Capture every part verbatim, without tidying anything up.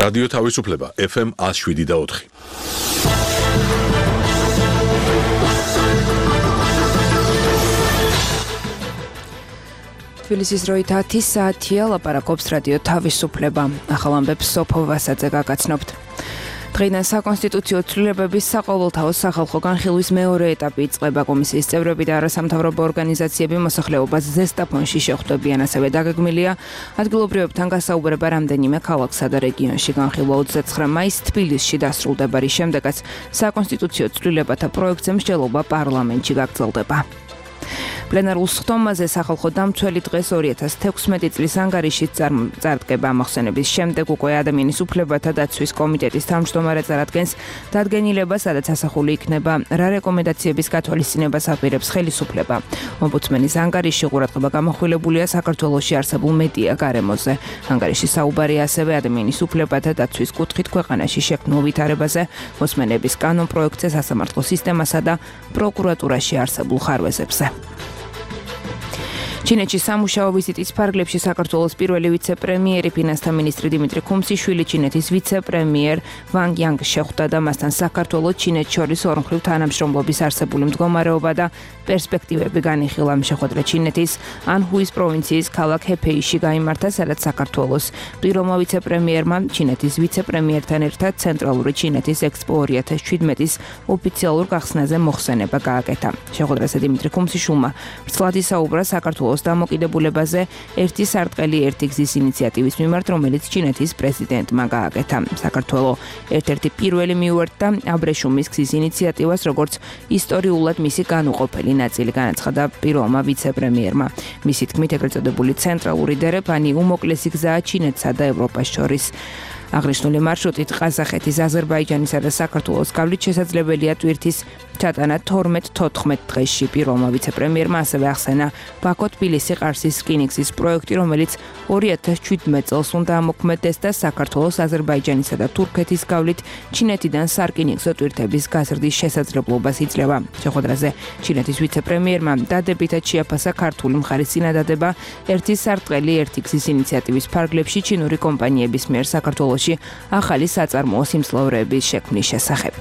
რადიო თავისუფლება ეფ ემ ათს შვიდი და ოთხი. თბილისის როით ათი საათია, ლაპარაკობს რადიო თავისუფლება. ახალ ამბებს სოფო ვასაძე გაგაცნობთ. დღეიდან საკონსტიტუციო ცვლილებების საყოველთაო სახალხო განხილვის მეორე ეტაპი იწყება. კომისიის წევრები და არასამთავრობო ორგანიზაციები მოსახლეობას ზესტაფონში შეხვდებიან, ასევე დაგეგმილია ადგილობრივებთან გასაუბრება რამდენიმე ქალაქსა და რეგიონში. განხილვა ოცდაცხრა მაისს თბილისში დასრულდება, რის შემდეგაც საკონსტიტუციო ცვლილებათა პროექტზე მსჯელობა პარლამენტში გაგრძელდება. პლენარულ სხდომაზე სახალხო დამცველი დღეს ორი ათას თექვსმეტი წლის ანგარიშით წარდგება. მოხსენების შემდეგ უკვე ადამიანის უფლებათა დაცვის კომიტეტის თავმჯდომარე წარადგენს დადგენილებას, სადაც ასახული იქნება რა რეკომენდაციების გათვალისწინებას აპირებს ხელისუფლება. ომბუდსმენის ანგარიში ყურადღება გამახვილებულია საქართველოში არსებულ მედია გარემოზე. ანგარიში საუბარია ასევე ადამიანის უფლებათა დაცვის კუთხით ქვეყანაში შექმნილ ვითარებაზე, მოსმენების კანონ პროექტზე, სასამართლო სისტემასა და პროკურატურაში არსებულ ხარვეზებზე. ჩინეთში სამუშაო ვიზიტის ფარგლებში საქართველოს პირველი ვიცე-პრემიერი ფინანსთა მინისტრი დიმიტრი ქუმსიშვილი ჩინეთის ვიცე-პრემიერ ვანგ იანგ შეხვდა და მასთან საქართველოს ჩინეთს შორის ორმხრივ თანამშრომლობის არსებული მდგომარეობა და პერსპექტივები განიხილა. შეხვედრა ჩინეთის ანჰუის პროვინციის ქალაქ ჰეფეიში გაიმართა, სადაც საქართველოს პირველმა ვიცე-პრემიერმა ჩინეთის ვიცე-პრემიერთან ერთად ცენტრალური ჩინეთის ექსპო ორი ათას შვიდმეტის ოფიციალურ გახსნაზე მოხსენება გააკეთა. შეხვედრაზე დიმიტრი ქუმსიშვილმა ვრცლად ისაუბრა საქართველოს დამოკიდებულებაზე ერთი სარტყელი ერთი გზის ინიციატივის მიმართ, რომელიც ჩინეთის პრეზიდენტმა გააკეთა. საქართველოს ერთ-ერთი პირველი მიუერთდა აბრეშუმის გზის ინიციატივას, როგორც ისტორიულად მისი განუყოფელი ნაწილი, განაცხადა პირველმა ვიცე-პრემიერმა. მისი თქმით, ეგრეთ წოდებული ცენტრალური დერეფანი უმოკლესი გზაა ჩინეთსა და ევროპას შორის. აღნიშნული მარშრუტით ყაზახეთის, აზერბაიჯანისა და საქართველოს გავლით შესაძლებელია ტვირთის ჩატანა თორმეტ თოთხმეტ დღეში. პირველმა ვიცე-პრემიერმა ასევე ახსენა ბაქო-თბილისი-ყარსის რკინიგზის პროექტი, რომელიც ორი ათას შვიდმეტ წელს უნდა ამოქმედდეს და საქართველოს, აზერბაიჯანისა და თურქეთის გავლით ჩინეთიდან სარკინიგზო ტვირთების გაზრდის შესაძლებლობას იძლევა. შეხვედრაზე ჩინეთის ვიცე-პრემიერმა დადებითად შეაფასა ქართული მხარის წინადადება ერთი სარტყელი ერთი გზის ინიციატივის ფარგლებში ჩინური კომპანიების მიერ საქართველოს ახალი საწარმოო სიმძლავრეების შექმნის შესახებ.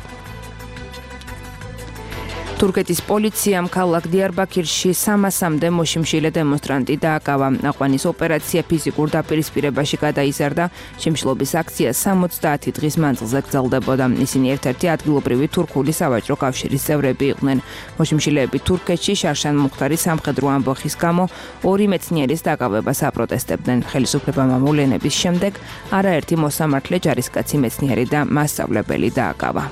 თურქეთის პოლიციამ ქალაქ დიარბაქირში სამასამდე მოშიმშილე დემონსტრანტი დააკავა. აყვანის ოპერაცია ფიზიკურ დაპირისპირებაში გადაიზარდა. შიმშილობის აქცია სამოცდაათი დღის მანძილზე გრძელდებოდა. ისინი ერთ-ერთი ადგილობრივი თურქული სავაჭრო კავშირის წევრები იყვნენ. მოშიმშილეები თურქეთში შარშან მუხტარის სამხედრო ამბოხის გამო ორი მეცნიერის დაკავებას აპროტესტებდნენ. ხელისუფლებამ ამოვლენების შემდეგ არაერთი მოსამართლე, ჯარისკაცი, მეცნიერი და მასწავლებელი დააკავა.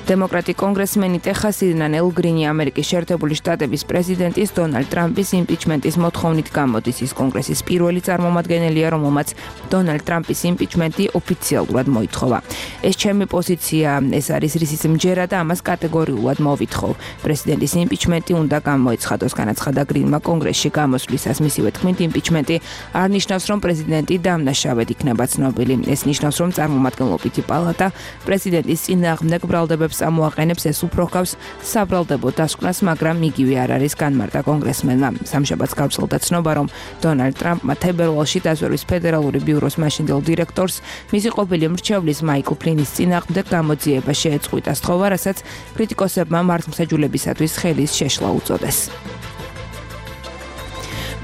დემოკრატი კონგრესმენი ტეხასიდან ელ გრინი ამერიკის შეერთებული შტატების პრეზიდენტის დონალდ ტრამპის იმპიჩმენტის მოთხოვნით გამოდის. ის კონგრესის პირველი წარმომადგენელია, რომელმაც დონალდ ტრამპის იმპიჩმენტი ოფიციალურად მოითხოვა. ეს ჩემი პოზიცია, ეს არის რისიც მჯერა და ამას კატეგორიულად მოვითხოვ. პრეზიდენტის იმპიჩმენტი უნდა გამოეცხადოს, განაცხადა გრინმა კონგრესში გამოსვლისას. მისივე თქმით, იმპიჩმენტი არ ნიშნავს, რომ პრეზიდენტი დამნაშავედ იქნება ცნობილი. ეს ნიშნავს, რომ წარმომადგენლობითი პალატა პრეზიდენტის წინააღმდეგ ბრალდებებს ამოაყენებს. ეს უფრო ჰგავს საბრალდებო დასკვნას, მაგრამ იგივე არ არის, განმარტა კონგრესმენმა. სამშაბათს გავრცელდა ცნობა, რომ დონალდ ტრამპმა თებერვალში დაზვერვის ფედერალური ბიუროს მაშინდელ დირექტორს მისი ყოფილი მრჩევლის მაიკლ ფლინის წინააღმდეგ გამოძიება შეეწყვიტა სთხოვა, რასაც კრიტიკოსებმა მართლმსაჯულებისათვის ხელის შეშლა უწოდეს.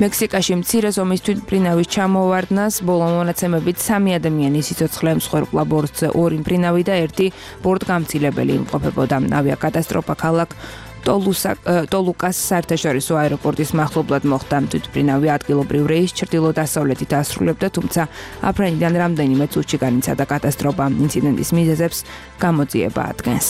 მექსიკაში მცირე ზომის თვითმფრინავის ჩამოვარდნას ბოლო მონაცემებით სამი ადამიანი სიცოცხლე მსხვერპლა, ბორტზე ორი მფრინავი და ერთი ბორტგამცილებელი იმყოფებოდა. ავიაკატასტროფა ქალაქ ტოლუკას საერთაშორისო აეროპორტის მახლობლად მოხდა. თვითმფრინავი ადგილობრივ რეისს ჩრდილო-დასავლეთით ასრულებდა, თუმცა აფრენიდან რამდენიმე წუთში განიცადა კატასტროფა. ინციდენტის მიზეზებს გამოძიება ადგენს.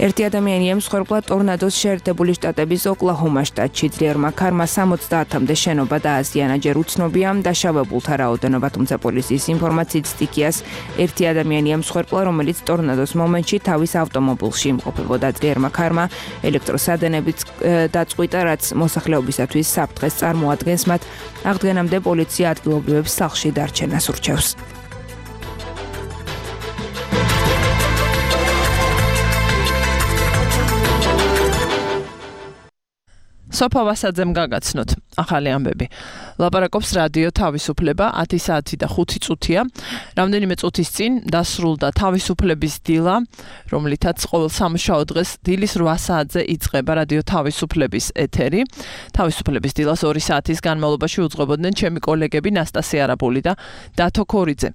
ერთი ადამიანი ემსხვერპლა ტორნადოს შეერთებული შტატების ოკლაჰომა შტატში. ძლიერმა ქარმა სამოცდაათამდე შენობა დააზიანა. ჯერ უცნობია დაშავებულთა რაოდენობა, თუმცა პოლიციის ინფორმაციით სტიქიას ერთი ადამიანი ემსხვერპლა, რომელიც ტორნადოს მომენტში თავის ავტომობილში იმყოფებოდა. ძლიერმა ქარმა ელექტროსადენებიც დაწყვიტა, რაც მოსახლეობისათვის საფრთხეს წარმოადგენს. მათ აღდგენამდე პოლიცია ადგილობრივებს სახლში დარჩენას ურჩევს. სოფა ვასაძემ გაგაცნოთ ახალი ამბები. ლაპარაკობს რადიო თავისუფლება ათი საათი და ხუთი წუთია. რამდენიმე წუთის წინ დასრულდა თავისუფლების დილა, რომლითაც ყოველ სამუშაო დღეს დილის რვა საათზე იწყება რადიო თავისუფლების ეთერი. თავისუფლების დილას ორი საათის განმავლობაში უძღვებოდნენ ჩემი კოლეგები ნასტასია არაბული და დათო ქორიძე.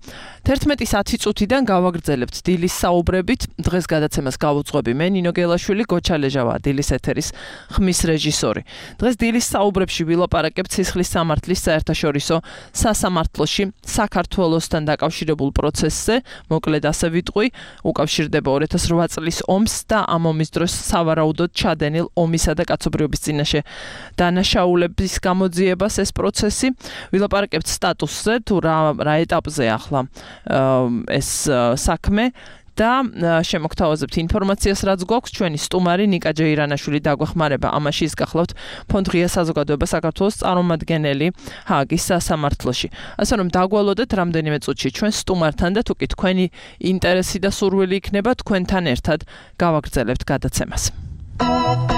თერთმეტის ათი წუთიდან გავაგრძელებთ დილის საუბრებით. დღეს გადაცემას გავუძღვები მე ნინო გელაშვილი, გოჩა ლეჟავა დილის ეთერის ხმის რეჟისორი. დღეს დილის საუბრებში ვილაპარაკებთ სისხლის სამართლის საერთაშორისო სასამართლოში საქართველოსთან დაკავშირებულ პროცესზე, მოკლედ ასე ვიტყვი, უკავშირდება ორი ათას რვა წლის ომს და ამ ომის დროს სავარაუდოდ ჩადენილ ომისა და კაცობრიობის წინაშე დანაშაულების გამოძიებას ეს პროცესი. ვილაპარაკებთ სტატუსზე, თუ რა რა ეტაპზე ახლა ეს საქმე. და შემოგთავაზებთ ინფორმაციას, რაც გვაქვს. ჩვენი სტუმარი ნიკა ჯეირანაშვილი დაგვეხმარება ამაში. ის გახლავთ ფონდ ღია საზოგადოება საქართველოს წარმომადგენელი ჰააგის სასამართლოში. ასე რომ დაგვალოდეთ რამდენიმე წუთში ჩვენ სტუმართან და თუ კი თქვენი ინტერესი და სურვილი იქნება, თქვენთან ერთად გავაგრძელებთ გადაცემას. I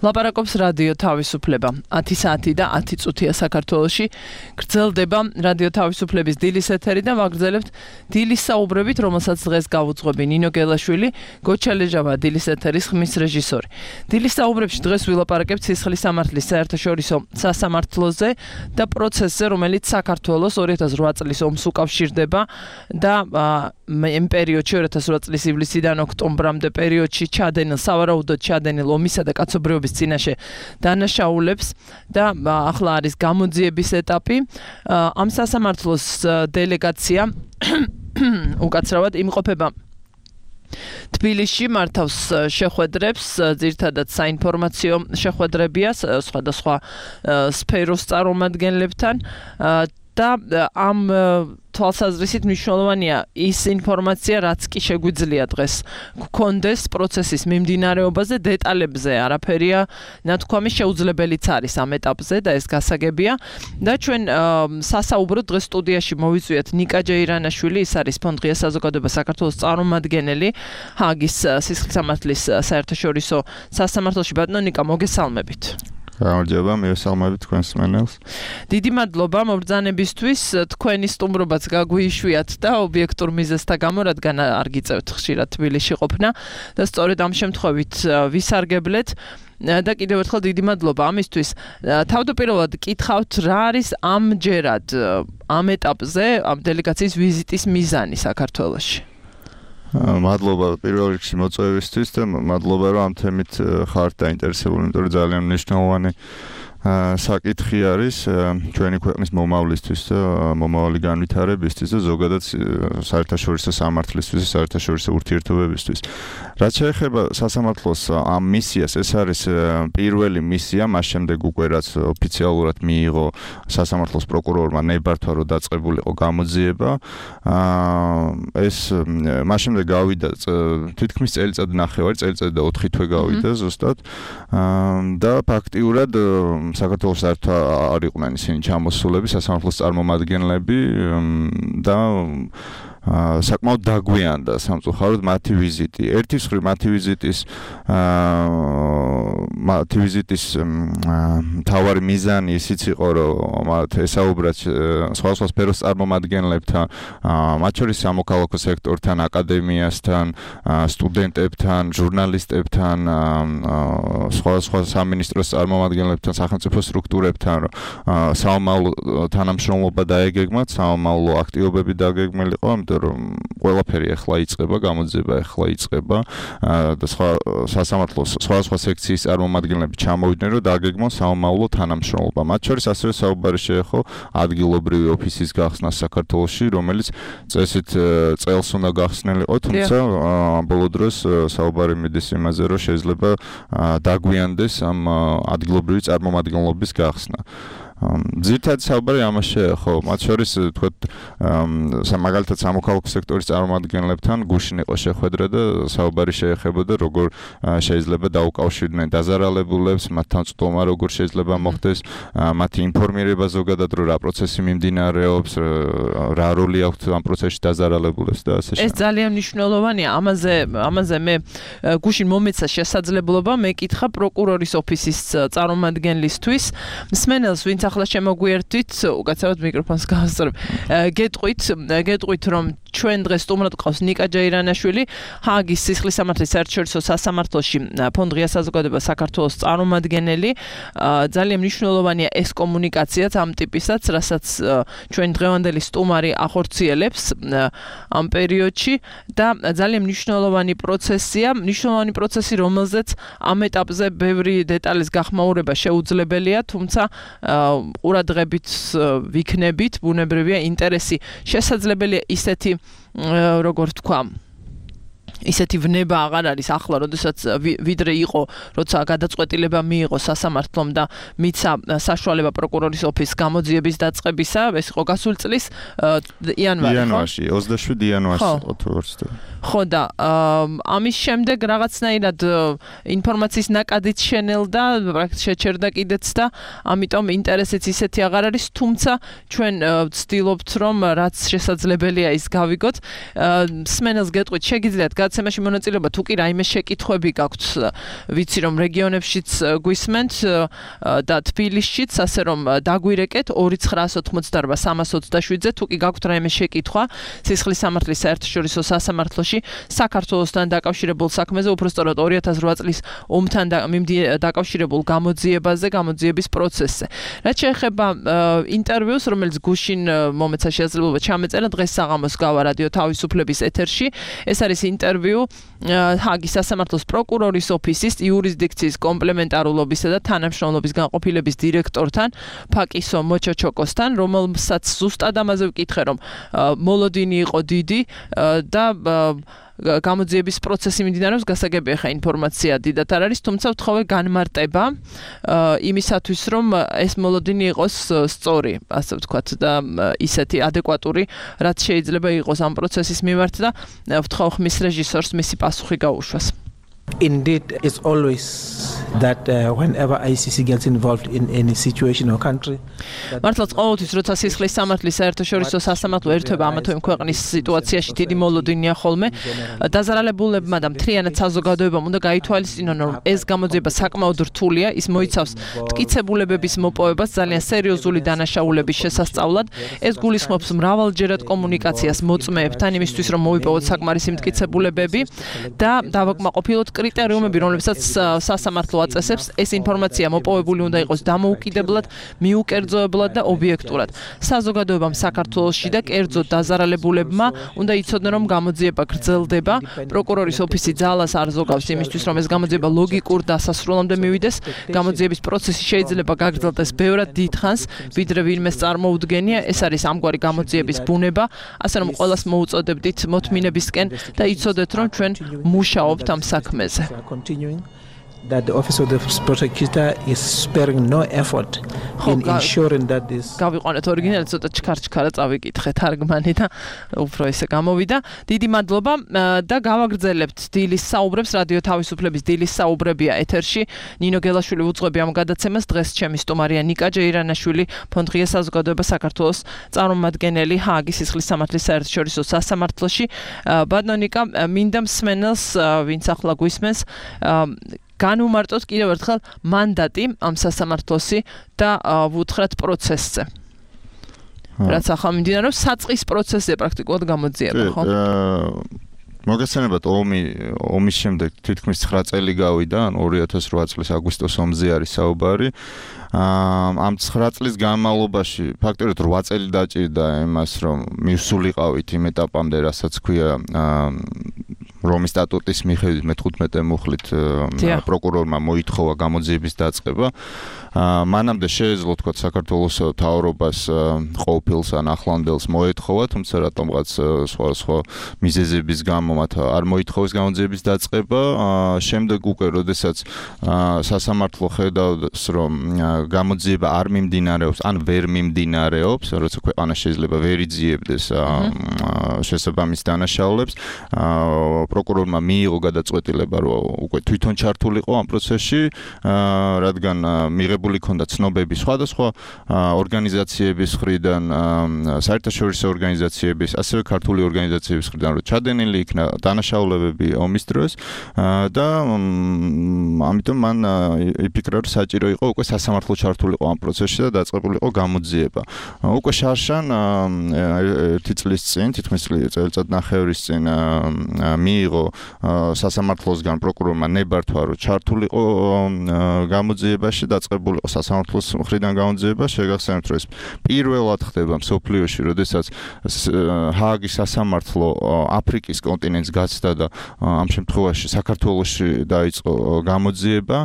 ლაპარაკობს რადიო თავისუფლება. ათი საათი და ათი წუთია საქართველოში. გრძელდება რადიო თავისუფლების დილის ეთერი და ვაგრძელებთ დილის საუბრებით, რომელსაც დღეს გავუძღვები ნინო გელაშვილი, გოჩა ლეჟავა დილის ეთერის ხმის რეჟისორი. დილის საუბრებში დღეს ვილაპარაკებთ სისხლის სამართლის საერთაშორისო სასამართლოზე და პროცესზე, რომელიც საქართველოს ორი ათას რვა წლის ომს უკავშირდება და იმ პერიოდში ორი ათას რვა წლის ივლისიდან ოქტომბრამდე პერიოდში ჩადენილ სავარაუდოდ ჩადენილ ომისა და კაცობრიობის წინაშე დანაშაულებს და ახლა არის გამოძიების ეტაპი. ამ სასამართლოს დელეგაცია უკაცრავად იმყოფება თბილისში, მართავს შეხვედრებს, ძირითადად საინფორმაციო შეხვედრებია სხვადასხვა სფეროს წარმომადგენლებთან და ამ თვალსაზრისით მნიშვნელოვანია ის ინფორმაცია, რაც კი შეგვიძლია დღეს გქონდეს პროცესის მიმდინარეობაზე, დეტალებზე არაფერია ნათქვამი, შეუძლებელიც არის ამ ეტაპზე და ეს გასაგებია. და ჩვენ სასაუბროდ დღეს სტუდიაში მოვიწვიეთ ნიკა ჯეირანაშვილი, ის არის ფონდ ღია საზოგადოება საქართველოს წარმომადგენელი ჰააგის სისხლის სამართლის საერთაშორისო სასამართლოში. ბატონო ნიკა, მოგესალმებით. გამარჯობა, მივესალმებით თქვენს მსმენელს. დიდი მადლობა მობრძანებისთვის, თქვენი სტუმრობაც გაგვიშვიათ და ობიექტურ მიზეზთა გამო, რადგან არ გიწევთ ხშირად თბილისში ყოფნა და სწორედ ამ შემთხვევით ვისარგებლეთ და კიდევ ერთხელ დიდი მადლობა ამისთვის. თავდაპირველად კითხავთ, რა არის ამჯერად ამ ეტაპზე ამ დელეგაციის ვიზიტის მიზანი საქართველოში? მადლობა პირველ რიგში მოწვევისთვის და მადლობა რომ ამ თემით ხართ დაინტერესებული, იმიტომ რომ ძალიან მნიშვნელოვანი საკითხი არის ჩვენი ქვეყნის მომავლისთვის და მომავალი განვითარებისთვის და ზოგადად საერთაშორისო სამართლისთვის, საერთაშორისო ურთიერთობებისთვის. რაც შეეხება სასამართლოს ამ მისიას, ეს არის პირველი მისია, მას შემდეგ უკვე რაც ოფიციალურად მიიღო სასამართლოს პროკურორმა ნებართვა, რომ დაწყებულიყო გამოძიება. ეს მას შემდეგ გავიდა თითქმის წელიწად ნახევარი, წელიწად და ოთხი თვე გავიდა ზუსტად და ფაქტიურად საქართველოს საერთოდ არ იყვნენ ისინი ჩამოსულები, სასამართლოს წარმომადგენლები და საკმაოდ დაგვიანდა სამწუხაროდ მათი ვიზიტი. ერთი მხრივ მათი ვიზიტის მათი ვიზიტის მთავარი მიზანი ისიც იყო, რომ მათ ესაუბრათ სხვადასხვა სფეროს წარმომადგენლებთან, მათ შორის სამოქალაქო სექტორთან, აკადემიასთან, სტუდენტებთან, ჟურნალისტებთან, სხვადასხვა სამინისტროს წარმომადგენლებთან, სახელმწიფო სტრუქტურებთან, საომავლო თანამშრომლობა დაეგეგმათ, საომავლო აქტივობები დაგეგმილიყო, რომ ყველაფერი ახლა იწყება, გამოძიება ახლა იწყება და სხვა სასამართლოს სხვადასხვა სექციის წარმომადგენლები ჩამოვიდნენ, რომ დააგეგმონ საომავლო თანამშრომლობა. მათ შორის ასევე საუბარი შეეხო ადგილობრივი ოფისის გახსნას საქართველოში, რომელიც წესით წელს უნდა გახსნილიყო, თუმცა ბოლო დროს საუბარი მიდის იმაზე, რომ შეიძლება დაგვიანდეს ამ ადგილობრივი წარმომადგენლობის გახსნა. ძირითადად საუბარი ამას შეეხო, მათ შორის თქვათ მაგალითად სამოქალაქო სექტორის წარმომადგენლებთან გუშინ იყო შეხვედრა და საუბარი შეეხებოდა როგორ შეიძლება დაუკავშირდნენ დაზარალებულებს, მათთან წვდომა როგორ შეიძლება მოხდეს, მათი ინფორმირება ზოგადად რომ რა პროცესი მიმდინარეობს, რა როლი აქვს ამ პროცესში დაზარალებულებს და ასე შემდეგ. ეს ძალიან მნიშვნელოვანია, ამაზე ამაზე მე გუშინ მომეცა შესაძლებლობა მეკითხა პროკურორის ოფისის წარმომადგენლისთვის, მსმენელს ვინც ახლა შემოგვიერთვით, უკაცრავად მიკროფონს გავასწორებ. გეტყვით, გეტყვით რომ ჩვენ დღეს სტუმრად ყავს ნიკა ჯეირანაშვილი, ჰააგის სისხლის სამართლის საერთაშორისო სასამართლოში ფონდ ღია საზოგადოება საქართველოს წარმომადგენელი. ძალიან მნიშვნელოვანია ეს კომუნიკაციაც ამ ტიპისაც, რასაც ჩვენ დღევანდელი სტუმარი ახორციელებს ამ პერიოდში და ძალიან მნიშვნელოვანი პროცესია, მნიშვნელოვანი პროცესი, რომელზეც ამ ეტაპზე ბევრი დეტალის გახმაურება შეუძლებელია, თუმცა ყურადღებით ვიქნებით, ბუნებრივია ინტერესი შესაძლებელია ისეთი როგორ თქვა ისეთი ვნება აღარ არის ახლა, როდესაც ვიდრე იყო, როცა გადაწყვეტილება მიიღო სასამართლომ და მიცა საშუალება პროკურორის ოფისს გამოძიების დაწყებისა, ეს იყო გასულ წლის იანვარი, ხო? იანვარში, ოცდაშვიდი იანვარს იყო თორსდა. ხო და ამის შემდეგ რაღაცნაირად ინფორმაციის ნაკადიც შენელდა, პრაქტიკულად შეჩერდა კიდეც და ამიტომ ინტერესიც ისეთი აღარ არის, თუმცა ჩვენ ვცდილობთ, რომ რაც შესაძლებელია ის გავიგოთ. მსმენელს გეტყვით, შეგიძლიათ გადაცემაში მონაწილეობა, თუ კი რაიმე შეკითხვები გაქვთ, ვიცი რომ რეგიონებშიც გვისმენთ და თბილისშიც, ასე რომ დაგვირეკეთ ორი ცხრაას ოთხმოცდაორბა სამას ოცდაშვიდზე, თუ კი გაქვთ რაიმე შეკითხვა სისხლის სამართლის საერთაშორისო სასამართლოში საქართველოსთან დაკავშირებულ საქმეზე, უბრალოდ ორი ათას ოთხ წლის ომთან დაკავშირებულ გამოძიებაზე, გამოძიების პროცესზე. რაც შეეხება ინტერვიუს, რომელიც გუშინ მომეცა შესაძლებლობა ჩამეწერა, დღეს საღამოს გავა რადიო თავისუფლების ეთერში. ეს არის ინტერვიუ ჰაგის სასამართლოს პროკურორის ოფისის იურისდიქციის კომპლემენტარულობისა და თანამშრომლობის განყოფილების დირექტორთან, ფაკისო მოჩოჩოკოსთან, რომელსაც ზუსტად ამაზე ვკითხე, რომ მოლოდინი იყო დიდი და გამოძიების პროცესი მიმდინარეობს, გასაგებია ხა ინფორმაცია დიდად არ არის, თუმცა ვთხოვე განმარტება იმისათვის, რომ ეს მოლოდინი იყოს სწორი, ასე ვთქვათ და ისეთი ადეკვატური, რაც შეიძლება იყოს ამ პროცესის მიმართ და ვთხოვ ხმის რეჟისორს მისი პასუხი გაუშვას. Indeed, it's always that uh, whenever I C C gets involved in any situation or country. მართლაც ყოველთვის როცა სისხლის სამართლის საერთაშორისო სასამართლო ერთვება ამა თუ იმ ქვეყნის სიტუაციაში დიდი მოლოდინია ხოლმე, დაზარალებულებმა და მთლიანად საზოგადოებამ უნდა გაითვალისწინონ, რომ ეს გამოძიება საკმაოდ რთულია, ის მოიცავს მტკიცებულებების მოპოვებას, ძალიან სერიოზული დანაშაულების შესასწავლად. ეს გულისხმობს მრავალჯერად კომუნიკაციას მოწმეებთან იმისთვის, რომ მოიპოვოთ საკმარისი მტკიცებულებები და დავაკმაყოფილოთ კრიტერიუმები, რომლებსაც სასამართლო აწესებს, ეს ინფორმაცია მოპოვებული უნდა იყოს დამოუკიდებლად, მიუკერძოებლად და ობიექტურად. საზოგადოებამ საქართველოში და კერძოდ დაზარალებულებმა უნდა იცოდნენ, რომ გამოძიება გრძელდება. პროკურორის ოფისი ძალას არ ზოგავს იმისთვის, რომ ეს გამოძიება ლოგიკურ დასასრულამდე მივიდეს. გამოძიების პროცესი შეიძლება გაგრძელდეს ბევრად დიდხანს, ვიდრე ვინმეს წარმოუდგენია. ეს არის ამგვარი გამოძიების ბუნება, ასე რომ ყველას მოუწოდებდით მოთმინებისკენ და იცოდეთ, რომ ჩვენ მუშაობთ ამ საქმეზე. That the office of the prosecutor is sparing no effort in ensuring that this გავიყვანეთ ორიგინალი ცოტა ჩქარ-ჩქარა წავიკითხე თარგმანი და უფრო ესე გამოვიდა. დიდი მადლობა და გავაგრძელებთ დილის საუბრებს, რადიო თავისუფლების დილის საუბრებია ეთერში. ნინო გელაშვილი უძღვები ამ გადაცემას, დღეს ჩემი სტუმარია ნიკა ჯეირანაშვილი, ფონდ ღია საზოგადოება საქართველოს წარმომადგენელი ჰააგის სისხლის სამართლის საერთაშორისო სასამართლოში. ბატონო ნიკა, მინდა მსმენელს, ვინც ახლა გვისმენს, განვუმარტოთ კიდევ ერთხელ მანდატი ამ სასამართლოსი და ვუთხრათ პროცესზე. რაც ახლა მიმდინარეობს, საწყის პროცესზე პრაქტიკულად გამოძიება, ხო? მოგესალმებით, ომი ომის შემდეგ თითქმის ცხრა წელი გავიდა, ან ორი ათას ოთხ წლის აგვისტოს ომზე არის საუბარი. ამ ცხრა წლის განმავლობაში ფაქტობრივად ორი წელი დაჭირდა იმას, რომ მივსულიყავით იმ ეტაპამდე, რასაც ქვია რომის სტატუტის მიხედვით მეთხუთმეტე მუხლით პროკურორმა მოითხოვა გამოძიების დაწყება. მანამდე შეეძლო თქვა საქართველოს მთავრობას ყოფილს ან ახლანდელს მოეთხოვა, თუმცა რატომღაც სხვა სხვა მიზეზების გამო მათ არ მოითხოვეს გამოძიების დაწყება. შემდეგ უკვე, როდესაც სასამართლო ხედავს, რომ გამოძიება არ მიმდინარეობს, ან ვერ მიმდინარეობს, როცა ქვეყანა შეიძლება ვერ იძიებდეს შესაბამის დანაშაულებს, პროკურორმა მიიღო გადაწყვეტილება, რომ უკვე თვითონ ჩართულიყო ამ პროცესში, რადგან მიღებული ჰქონდა ცნობები სხვადასხვა ორგანიზაციების მხრიდან, საერთაშორისო ორგანიზაციების, ასევე ქართული ორგანიზაციების მხრიდან, რომ ჩადენილი იქნა დანაშაულებები ომის დროს და ამიტომ მან იფიქრა, რომ საჭირო იყო უკვე სასამართლო ჩართულიყო ამ პროცესში და დაწყებულიყო გამოძიება. უკვე შარშან ერთი წლის წინ, თითქმის წელიწად ნახევრის წინ მიიღო სასამართლოსგან პროკურორმა ნებართვა, რომ ჩართულიყო გამოძიებაში, დაწყებულიყო სასამართლოს მხრიდან გამოძიება. შეგახსენებთ, რომ ეს პირველად ხდება მსოფლიოში, როდესაც ჰააგის სასამართლო აფრიკის კონტინენტს გაცდა და ამ შემთხვევაში საქართველოში დაიწყო გამოძიება.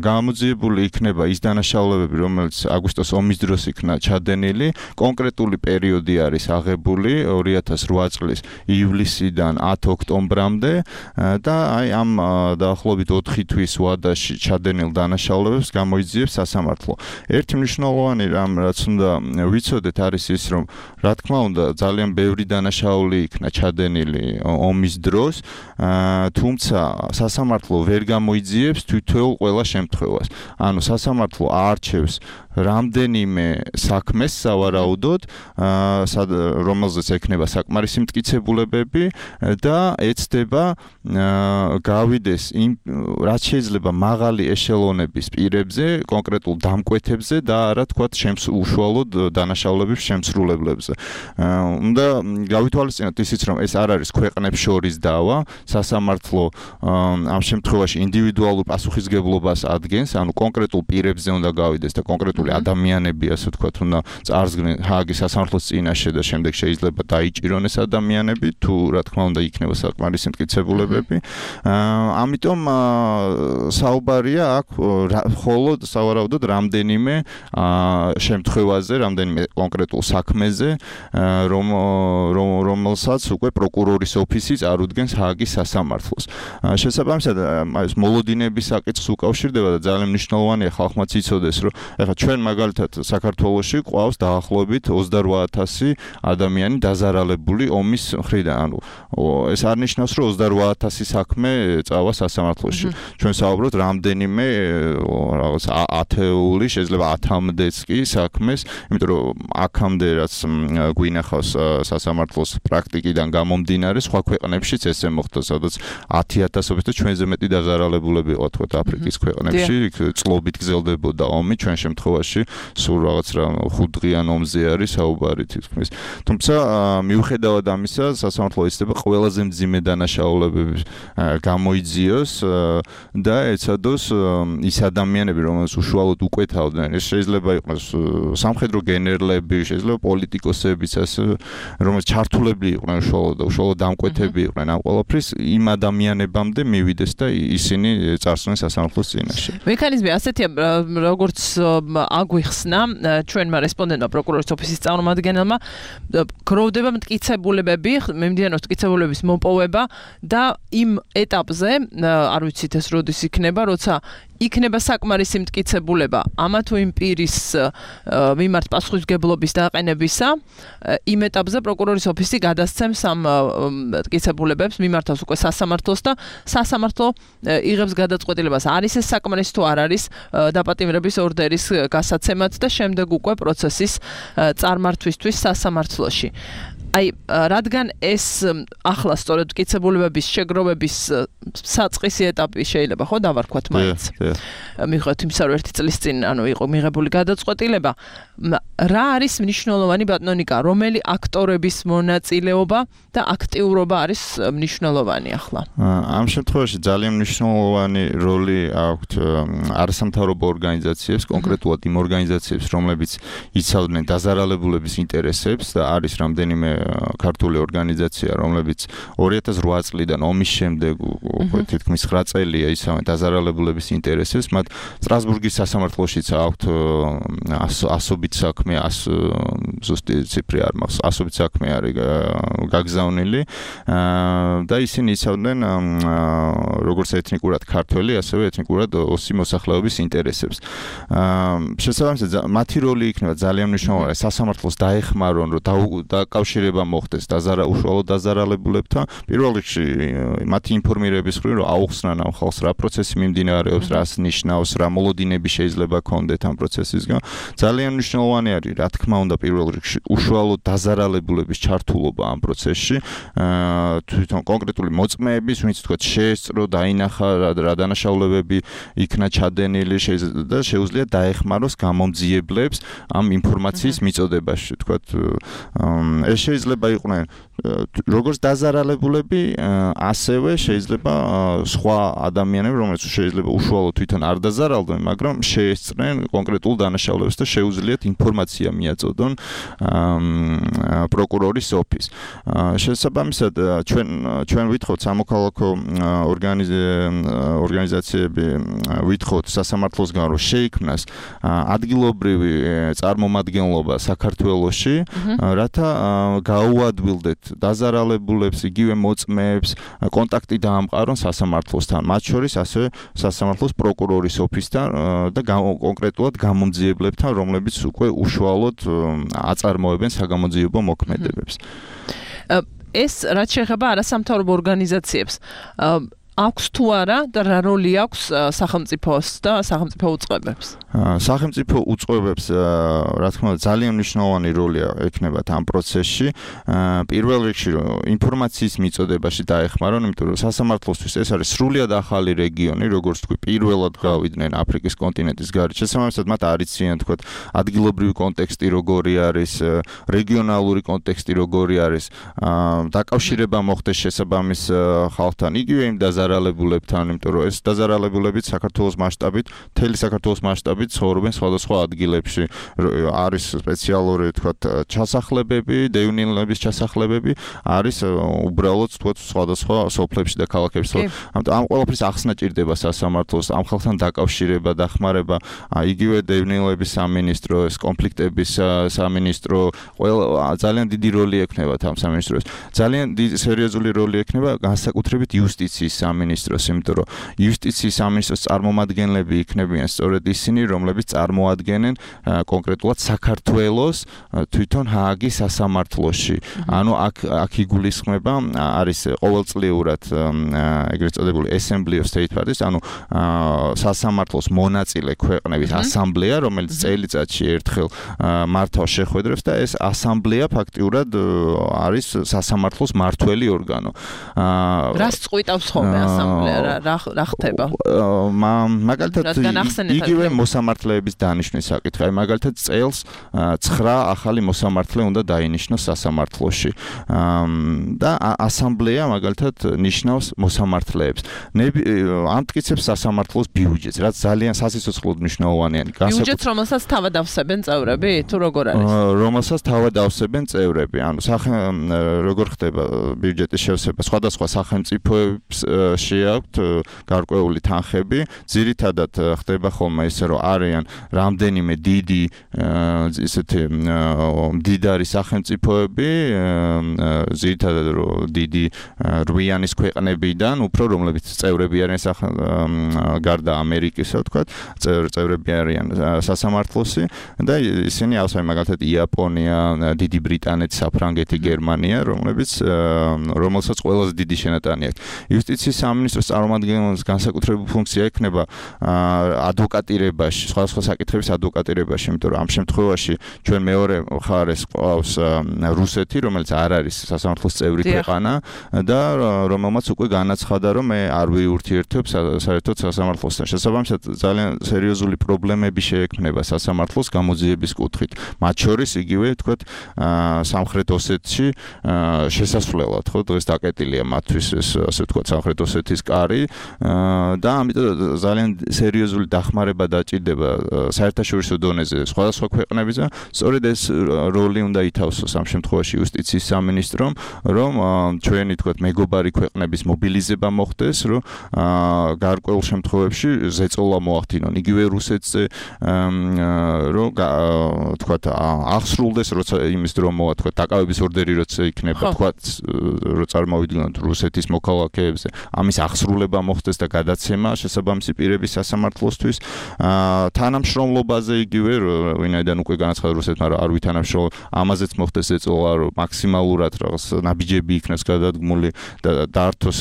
გამოძიებული იქნება ის დანაშაულებები, რომელიც აგვისტოს ომის დროს იქნა ჩადენილი. კონკრეტული პერიოდი არის აღებული ორი ათას ოთხ წლის ივლისიდან ათი ოქტომბრამდე და აი ამ დაახლოებით ოთხი თვის ვადაში ჩადენილ დანაშაულებებს გამოიძიებს სასამართლო. ერთი მნიშვნელოვანი რამ რაც უნდა ვიცოდეთ არის ის რომ რა თქმა უნდა ძალიან ბევრი დანაშაული იქნა ჩადენილი ომის დროს, თუმცა სასამართლო ვერ გამოიძიებს თითოეულ ყველა შემთხვევას. ანუ სასამართლო აარჩევს რამდენიმე საქმეს სავარაუდოდ, რომელზეც ექნება საკმარისი მტკიცებულებები და ეცდება გავიდეს იმ რაც შეიძლება მაღალი ეშელონების პირებზე, კონკრეტულ დამკვეთებზე და არა თქვათ უშუალოდ დანაშაულების შემსრულებლებზე. უნდა გავითვალისწინოთ ისიც რომ ეს არ არის ქვეყნებს შორის დავა, სასამართლო ამ შემთხვევაში ინდივიდუალურ პასუხისგებლობას ადგენს, ანუ კონკრეტულ პირებზე უნდა გავიდეს და კონკრეტულ ადამიანები ასე ვთქვათ უნდა წარსდგნენ ჰააგის სასამართლოს წინაშე და შემდეგ შეიძლება დაიჭირონეს ადამიანები თუ რა თქმა უნდა იქნება საკმარისი მტკიცებულებები. ამიტომ საუბარია აქ მხოლოდ სავარაუდოდ რამდენიმე შემთხვევაზე, რამდენიმე კონკრეტულ საქმეზე, რომ რომელსაც უკვე პროკურორის ოფისი წარუდგენს ჰააგის სასამართლოს. შესაბამისად ეს მოლოდინების საკითხს უკავშირდება და ძალიან მნიშვნელოვანია ხალხმაც იცოდეს, რომ ეხლა ჩვენ მაგალითად საქართველოში ყავს დაახლოებით ოცდარვა ათასი ადამიანი დაზარალებული ომის მხრიდან. ანუ ეს არ ნიშნავს, რომ ოცდარვა ათასი საქმე წავა სასამართლოში. ჩვენ საუბრობთ რამდენიმე რაღაც ათეული, შეიძლება ათამდეც კი საქმეს, იმიტომ რომ აქამდე რაც გვინახავს სასამართლოს პრაქტიკიდან გამომდინარე, სხვა ქვეყნებშიც ესე მოხდა, სადაც ათი ათასობით და ჩვენზე მეტი დაზარალებულები იყო თქვათ აფრიკის ქვეყნებში, წლობით გრძელდებოდა ომი, ჩვენ შემთხვევაში სულ რაღაც რა ხუთდღიან ომზე არის საუბარი თითქმის. თუმცა მიუხედავად ამისა, სასამართლო იცდება ყველაზე მძიმე დანაშაულებების გამოიძიოს და ეცადოს ის ადამიანები, რომელს უშუალოდ უკვეთავდნენ, ეს შეიძლება იყოს სამხედრო გენერლები, შეიძლება პოლიტიკოსებიც, რომელიც ჩართულები იყვნენ უშუალოდ და უშუალოდ დამკვეთები იყვნენ ამ ყველაფრის, იმ ადამიანებამდე მივიდეს და ისინი წარსულენ სასამართლოს წინაშე. მექანიზმი ასეთია, როგორც აგვიხსნა ჩვენმა რესპონდენტმა პროკურორის ოფისის წარმომადგენელმა, გროვდება მტკიცებულებები, მიმდინარეობს მტკიცებულებების მოპოვება და იმ ეტაპზე, არ ვიცით ეს როდის იქნება, როცა იქნება საკმარისი მტკიცებულება ამა თუ იმ პირის მიმართ პასუხისმგებლობის დაყენებისა, იმ ეტაპზე პროკურორის ოფისი გადასცემს ამ მტკიცებულებებს, მიმართავს უკვე სასამართლოს და სასამართლო იღებს გადაწყვეტილებას, არის ეს საკმარისი თუ არ არის დაპატიმრების ორდერის გასაცემად და შემდეგ უკვე პროცესის წარმართვისთვის სასამართლოში. აი, რადგან ეს ახლა სწორედ მტკიცებულებების შეგროვების საწყისი ეტაპი შეიძლება ხო დავარქვათ მაინც. მიხვდეთ იმისა, რომ ერთი წლის წინ ანუ იყო მიღებული გადაწყვეტილება, რა არის მნიშვნელოვანი ბატონიკა, რომელი აქტორების მონაწილეობა და აქტიურობა არის მნიშვნელოვანი ახლა? ამ შემთხვევაში ძალიან მნიშვნელოვანი როლი აქვთ არასამთავრობო ორგანიზაციებს, კონკრეტულად იმ ორგანიზაციებს, რომლებიც იცავდნენ დაზარალებულების ინტერესებს და არის რამდენიმე ქართული ორგანიზაცია, რომლებიც ორი ათას რვა წლიდან ომის შემდეგ უკვე თითქმის ცხრა წელია იცავენ დაზარალებულების ინტერესებს, მათ სტრასბურგის სასამართლოშიც აქვთ ასობით საქმე, ზუსტი ციფრი არ მაქვს, ასობით საქმე არის გაგზავნილი და ისინი იცავდნენ როგორც ეთნიკურად ქართველი, ასევე ეთნიკურად ოსი მოსახლეობის ინტერესებს. შესაბამისად, მათი როლი იქნება ძალიან მნიშვნელოვანი, სასამართლოს დაეხმარონ, რომ დაკავშირება მოხდეს უშუალოდ დაზარალებულებთან. პირველ რიგში მათი ინფორმირების მხრივ, რომ აუხსნან ამ ხალხს რა პროცესი მიმდინარეობს, რას ნიშნავს, რა მოლოდინები შეიძლება ქონდეთ ამ პროცესისგან. ძალიან მნიშვნელოვანი არის, რა თქმა უნდა, პირველ რიგში უშუალოდ დაზარალებულების ჩართულობა ამ პროცესში, თვითონ კონკრეტული მოწმეების, ვინც თქვა შეესწრო, დაინახა რა დანაშაულებები იქნა ჩადენილი და შეუძლია დაეხმაროს გამომძიებლებს ამ ინფორმაციის მიწოდებაში, თქვა ეს შეიძლება იყვნენ როგორც დაზარალებულები, ასევე შეიძლება სხვა ადამიანები, რომელიც შეიძლება უშუალოდ თვითონ არ დაზარალდნენ, მაგრამ შეესწრნენ კონკრეტულ დანაშაულებას და შეუძლიათ ინფორმაცია ინფორმაცია მიაწოდონ პროკურორის ოფისს. შესაბამისად ჩვენ ჩვენ ვითხოვთ სამოქალაქო ორგანიზაციები ვითხოვთ სასამართლოსგან რომ შეიქმნას ადგილობრივი წარმომადგენლობა საქართველოში, რათა გაუადვილდეთ დაზარალებულებს, იგივე მოწმეებს, კონტაქტი დაამყარონ სასამართლოსთან, მათ შორის ასევე სასამართლოს პროკურორის ოფისთან და კონკრეტულად გამომძიებლებთან, რომლებიც უკვე უშუალოდ აწარმოებენ საგამოძიებო მოქმედებებს. ეს რაც შეეხება არასამთავრობო ორგანიზაციებს, აქვს თუ არა და რა როლი აქვს სახელმწიფოს და სახელმწიფო უწყებებს? სახელმწიფო უწყებებს, რა თქმა უნდა, ძალიან მნიშვნელოვანი როლი ექნებათ ამ პროცესში. პირველ რიგში ინფორმაციის მიწოდებაში დაეხმარონ, იმიტომ რომ სასამართლოსთვის ეს არის სრულიად ახალი რეგიონი, როგორც თქვი, პირველად გავიდნენ აფრიკის კონტინენტის გარეთ. შესაბამისად, მათ არ იციან, თქვა, ადგილობრივი კონტექსტი როგორი არის, რეგიონალური კონტექსტი როგორი არის, დაკავშირება მოხდეს შესაბამის ხალხთან, იგივე იმ დაზარალებულებთან, იმიტომ რომ ეს დაზარალებულები საქართველოს მასშტაბით, მთელი საქართველოს მასშტაბით ცხოვრობენ სხვადასხვა ადგილებში. არის სპეციალური, თქვათ, ჩასახლებები, დევნილების ჩასახლებები, არის უბრალოდ, თქვათ, სხვადასხვა სოფლებში და ქალაქებში. ამიტომ ამ ყველაფრის ახსნა ჭირდება სასამართლოს, ამ ხალხთან დაკავშირება, დახმარება, იგივე დევნილების სამინისტრო, ეს კონფლიქტების სამინისტრო, ყველა ძალიან დიდი როლი ექნებათ ამ სამინისტროს. ძალიან დიდი სერიოზული როლი ექნება განსაკუთრებით იუსტიციის სამინისტროს, იმიტომ რომ იუსტიციის სამინისტროს წარმომადგენლები იქნებიან სწორედ ისინი, რომლებიც წარმოადგენენ კონკრეტულად საქართველოს თვითონ ჰააგის სასამართლოში. ანუ აქ აქ იგულისხმება, არის ყოველწლიურად ეგრეთ წოდებული Assembly of State Parties, ანუ სასამართლოს მონაწილე ქვეყნების ასამბლეა, რომელიც წელიწადში ერთხელ მართავს შეხვედრებს და ეს ასამბლეა ფაქტიურად არის სასამართლოს მართველი ორგანო. რას წყვიტავს ხოლმე ასამბლეა, რა რა ხდება? მაგალითად იგივე მოსამართლეების დანიშვნის საკითხი. აი მაგალითად წელს ცხრა ახალი მოსამართლე უნდა დაინიშნოს სასამართლოში. და ასამბლეა მაგალითად ნიშნავს მოსამართლეებს. ამტკიცებს სასამართლოს ბიუჯეტს, რაც ძალიან სასიცოცხლოდ მნიშვნელოვანია. ბიუჯეტს, რომელსაც თავად ავსებენ წევრები, თუ როგორ არის? რომელსაც თავად ავსებენ წევრები. ანუ როგორ ხდება ბიუჯეტის შევსება? სხვადასხვა სახელმწიფოებში აქვთ გარკვეული თანხები. ძირითადად ხდება ხოლმე ისე, რომ არიან რამდენიმე დიდი ისეთი მდიდარი სახელმწიფოები, ძირითადად რომ დიდი რვიანის ქვეყნებიდან, უფრო რომლებიც წევრები არიან გარდა ამერიკისა, ვთქვათ, წევრები არიან სასამართლოსი და ისინი ავსებენ მაგალითად იაპონია, დიდი ბრიტანეთი, საფრანგეთი, გერმანია, რომლებიც რომელსაც ყველაზე დიდი შენატანი აქვს. იუსტიციის სამინისტროს წარმომადგენლობის განსაკუთრებული ფუნქცია ექნება ადვოკატირებაში, სხვადასხვა საკითხების ადვოკატირებაში, იმიტომ რომ ამ შემთხვევაში ჩვენ მეორე მხარეს ყავს რუსეთი, რომელიც არ არის სასამართლოს წევრი ქვეყანა და რომელმაც უკვე განაცხადა, რომ მე არ ვიურთიერთებ საერთოდ სასამართლოსთან. შესაბამისად, ძალიან სერიოზული პრობლემები შეექმნება სასამართლოს გამოძიების კუთხით. მათ შორის იგივე, თქვათ, სამხრეთ ოსეთში შესასვლელად, ხო, დღეს დაკეტილია მათთვის ეს, ასე ვთქვათ, სამხრეთ ოსეთის კარი და ამიტომ ძალიან სერიოზული დახმარება დაჭირდება საერთაშორისო დონეზე სხვადასხვა ქვეყნებისა. სწორედ ეს როლი უნდა ითავსოს ამ შემთხვევაში იუსტიციის სამინისტრომ, რომ ჩვენი, თქვათ, მეგობარი ქვეყნების მობილიზება მოხდეს, რომ გარკვეულ შემთხვევებში ზეწოლა მოახდინონ. იგივე რუსეთზე, რომ თქვათ, აღსრულდეს, როცა იმის დრო მოვა, თქვათ, დაკავების ორდერი როცა იქნება, თქვათ, რომ წარმოვიდგინოთ რუსეთის მოქალაქეებზე, ამის აღსრულება მოხდეს და გადაცემა შესაბამისი პირების სასამართლოსთვის. თანამშრომლობაზე იგივე, ვინაიდან უკვე განაცხადა რუსეთმა, რომ არ ვითანამშრომლობ, ამაზეც მოხდეს ეწოლა, რომ მაქსიმალურად რაღაც ნაბიჯები იქნას გადადგმული და დაართოს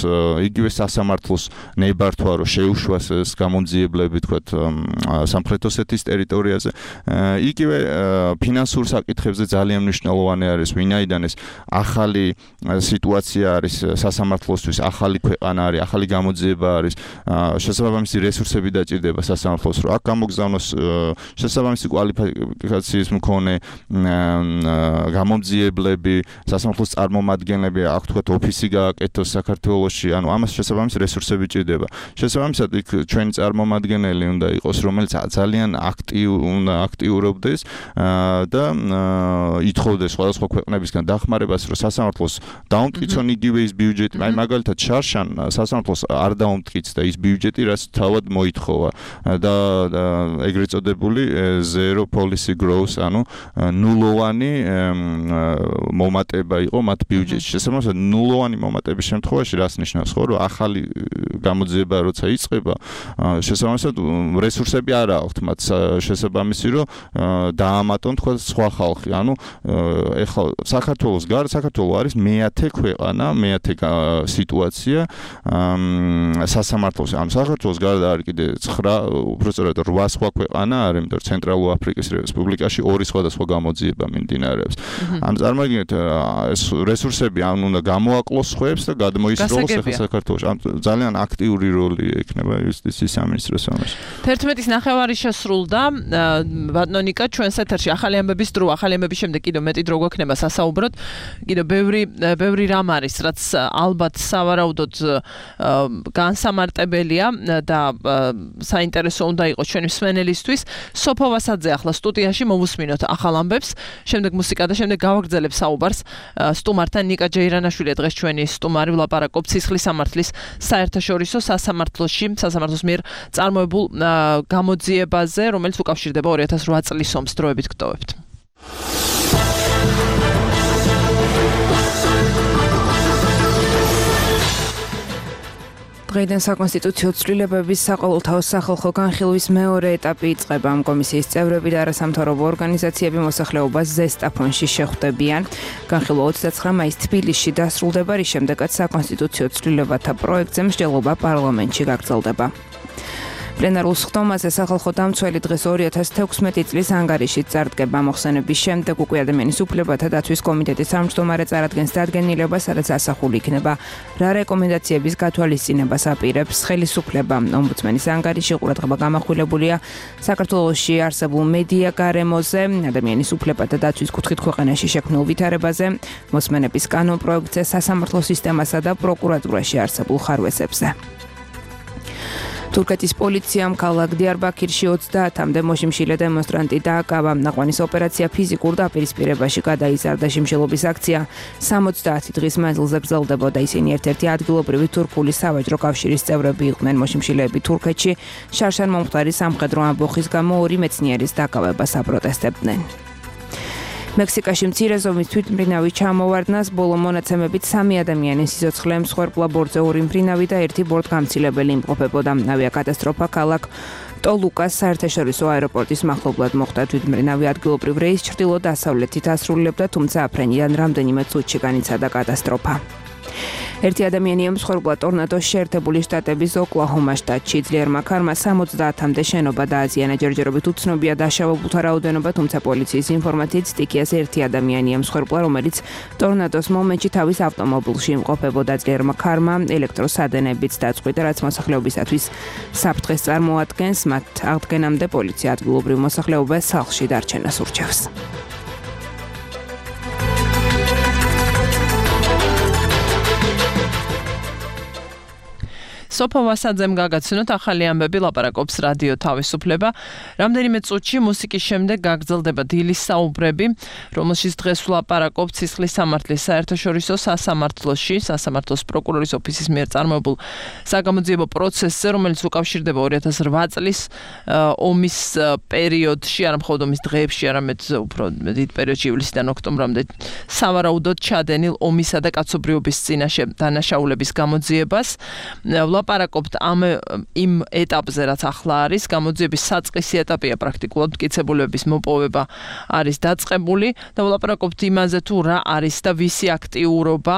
იგივე სასამართლოს ნებართვა, რომ შეუშვას ეს გამომძიებლები, თქვათ, სამხრეთ ოსეთის ტერიტორიაზე. იგივე ფინანსურ საკითხებზე ძალიან მნიშვნელოვანი არის, ვინაიდან ეს ახალი სიტუაცია არის სასამართლოსთვის, ახალი ქვეყანა არის, ახალი გამოძიება არის, შესაბამისი რესურსები დაჭირდება სასამართლოს, რომ აქ გამოგზავნოს შესაბამისი კვალიფიკაციის მქონე გამომძიებლები, სასამართლოს წარმომადგენლები, აქ თქვათ ოფისი გააკეთოს საქართველოში, ანუ ამას შესაბამისი რესურსები ჭირდება. შესაბამისად იქ ჩვენი წარმომადგენელი უნდა იყოს, რომელიც ძალიან აქტიურ უნდა აქტიურობდეს და ითხოვდეს სხვადასხვა ქვეყნებისგან დახმარებას, რომ სასამართლოს დაუმტკიცონ იგივე ის ბიუჯეტი, აი მაგალითად შარშან სასამართლოს არ დაუმტკიც და ის ბიუჯეტი, რაც თავად მოითხოვა და ეგრეთ წოდებული zero policy growth, ანუ ნულოვანი მომატება იყო მათ ბიუჯეტში. შესაბამისად ნულოვანი მომატების შემთხვევაში რას ნიშნავს, ხო, რომ ახალი გამოძიება როცა იწყება, შესაბამისად რესურსები არ აქვთ მათ შესაბამისი, რომ დაამატონ თქვა სხვა ხალხი. ანუ ეხლა საქართველოს გარდა საქართველო არის მეათე ქვეყანა, მეათე სიტუაცია სასამართლოს. ამ საქართველოს გარდა არის კიდე ცხრა, უბრალოდ რვა სხვა ქვეყანა არის, იმიტომ რომ ცენტრალურ აფრიკის რესპუბლიკაში ორი სხვადასხვა გამოძიება მიმდინარეობს. ამ წარმოიდგინეთ ეს რესურსები ან უნდა გამოაკლოს ხუებს და გადმოისროლოს საქართველოს. ამ ძალიან აქტიური როლი ექნება იუსტიციის სამინისტროს ამაში. თერთმეტის ნახევარი შესრულდა, ბატონიკა ჩვენს ეთერში ახალი ამბების დრო, ახალი ამბების შემდეგ კიდევ მეტი დრო გვექნება სასაუბროდ. კიდევ ბევრი ბევრი რამ არის, რაც ალბათ სავარაუდოდ განსამარტებელია და საინტერესო უნდა იყოს ჩვენი მსმენელისთვის. სოფო ვასაძე ახლა სტუდიაში მოვუსმინოთ ახალ ამბებს, შემდეგ მუსიკა და შემდეგ გავაგრძელებ საუბარს სტუმართან. ნიკა ჯეირანაშვილი დღეს ჩვენი სტუმარი, ვლაპარაკობთ სისხლის სამართლის საერთაშორისო სასამართლოში, სასამართლოს მიერ წარმოებულ გამოძიებაზე, რომელიც უკავშირდება ორი ათას რვა წლის ომს. დროებით გტოვებთ. დღეიდან საკონსტიტუციო ცვლილებების საყოველთაო სახალხო განხილვის მეორე ეტაპი იწყება. ამ კომისიის წევრები და არასამთავრობო ორგანიზაციები მოსახლეობას ზესტაფონში შეხვდებიან. განხილვა ოცდაცხრა მაისს თბილისში დასრულდება, რის შემდეგაც საკონსტიტუციო ცვლილებათა პროექტზე მსჯელობა პარლამენტში გაგრძელდება. პლენარულ სხდომაზე სახალხო დამცველი დღეს ორი ათას თექვსმეტი წლის ანგარიშით წარდგება. მოხსენების შემდეგ უკვე ადამიანის უფლებათა დაცვის კომიტეტის თავმჯდომარე წარადგენს დადგენილებას, სადაც ასახული იქნება რა რეკომენდაციების გათვალისწინებას აპირებს ხელისუფლება. ომბუდსმენის ანგარიში ყურადღება გამახვილებულია საქართველოში არსებულ მედია გარემოზე, ადამიანის უფლებათა დაცვის კუთხით ქვეყანაში შექმნილ ვითარებაზე, მოსმენების კანონ პროექტზე, სასამართლო სისტემასა და პროკურატურაში არსებულ ხარვესებზე. თურქეთის პოლიციამ ქალაქ დიარბაქირში ოცდაათამდე მოშიმშილე დემონსტრანტი დააკავა. ნაყვანის ოპერაცია ფიზიკურ დაპირისპირებაში გადაიზარდა. შიმშილობის აქცია სამოცდაათი დღის მანძილზე გრძელდებოდა. ისინი ერთ-ერთი ადგილობრივი თურქული სავაჭრო კავშირის წევრები იყვნენ. მოშიმშილეები თურქეთში შარშან მომხდარი სამხედრო ამბოხის გამო ორი მეცნიერის დაკავებას აპროტესტებდნენ. მექსიკაში მცირე ზომის თვითმფრინავი ჩამოვარდნას, ბოლო მონაცემებით სამი ადამიანის სიცოცხლე მსხვერპლა ბორტზე ორი მფრინავი და ერთი ბორტგამცილებელი იმყოფებოდა. ავიაკატასტროფა ქალაქ ტოლუკას საერთაშორისო აეროპორტის მახლობლად მოხდა. თვითმფრინავი ადგილობრივ რეისს ჩრდილო-დასავლეთით ასრულებდა, თუმცა აფრენიდან რამდენიმე წუთში განიცადა კატასტროფა. ერთი ადამიანი ემსხვერპლა ტორნადოს შეერთებული შტატების ოკლაჰომა შტატში. ძლიერმა ქარმა სამოცდაათამდე შენობა დააზიანა. ჯერჯერობით უცნობია დაშავებულთა რაოდენობა, თუმცა პოლიციის ინფორმაციით სტიქიას ერთი ადამიანი ემსხვერპლა, რომელიც ტორნადოს მომენტში თავის ავტომობილში იმყოფებოდა. ძლიერმა ქარმა ელექტროსადენებიც დაწყვიტა, რაც მოსახლეობისათვის საფრთხეს წარმოადგენს. მათ აღდგენამდე პოლიცია ადგილობრივ მოსახლეობას სახლში დარჩენას ურჩევს. სოფო ვასაძემ გაგაცნოთ ახალი ამბები, ლაპარაკობს რადიო თავისუფლება. რამდენიმე წუთში მუსიკის შემდეგ გაგრძელდება დილის საუბრები, რომელშიც დღეს ვლაპარაკობთ სისხლის სამართლის საერთაშორისო სასამართლოში, სასამართლოს პროკურორის ოფისის მიერ წარმოებულ საგამოძიებო პროცესზე, რომელიც უკავშირდება ორი ათას რვა წლის ომის პერიოდში, არა მხოლოდ ომის დღეებში, არამედ უფრო დიდ პერიოდში, ივლისიდან ოქტომბრამდე სავარაუდოდ ჩადენილ ომისა და კაცობრიობის წინაშე დანაშაულების გამოძიებას. ვილაპარაკობთ ამ იმ ეტაპზე, რაც ახლა არის, გამოძიების საწყისი ეტაპია პრაქტიკულად მტკიცებულების მოპოვება არის დაწყებული და ვილაპარაკობთ იმაზე თუ რა არის და ვისი აქტიურობა,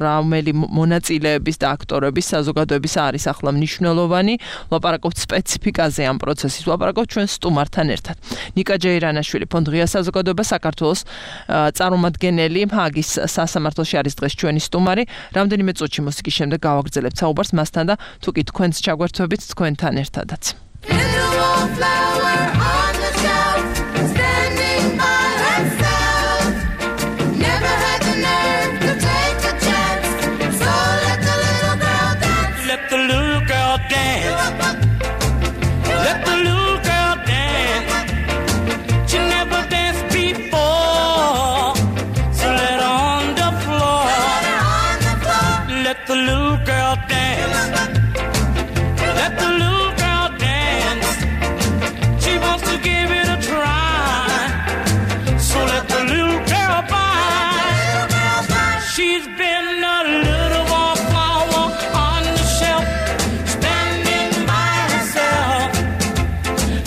რომელი მონაწილეების და აქტორების საზოგადოების არის ახლა მნიშვნელოვანი, ვილაპარაკობთ სპეციფიკაზე ამ პროცესის, ვილაპარაკობთ ჩვენ სტუმართან ერთად. ნიკა ჯეირანაშვილი, ფონდ ღია საზოგადოება საქართველოს წარმომადგენელი, ჰაგის სასამართლოში არის დღეს ჩვენი სტუმარი. რამდენიმე წუთში მუსიკის შემდეგ გავაგრძელებთ საუბარს მასთან და თუ კი თქვენს ჩაგვერთვებით თქვენთან ერთადაც. The little girl dance. Let the little girl dance. She wants to give it a try. So let the little girl by. She's been a little wallflower on the shelf, standing by herself.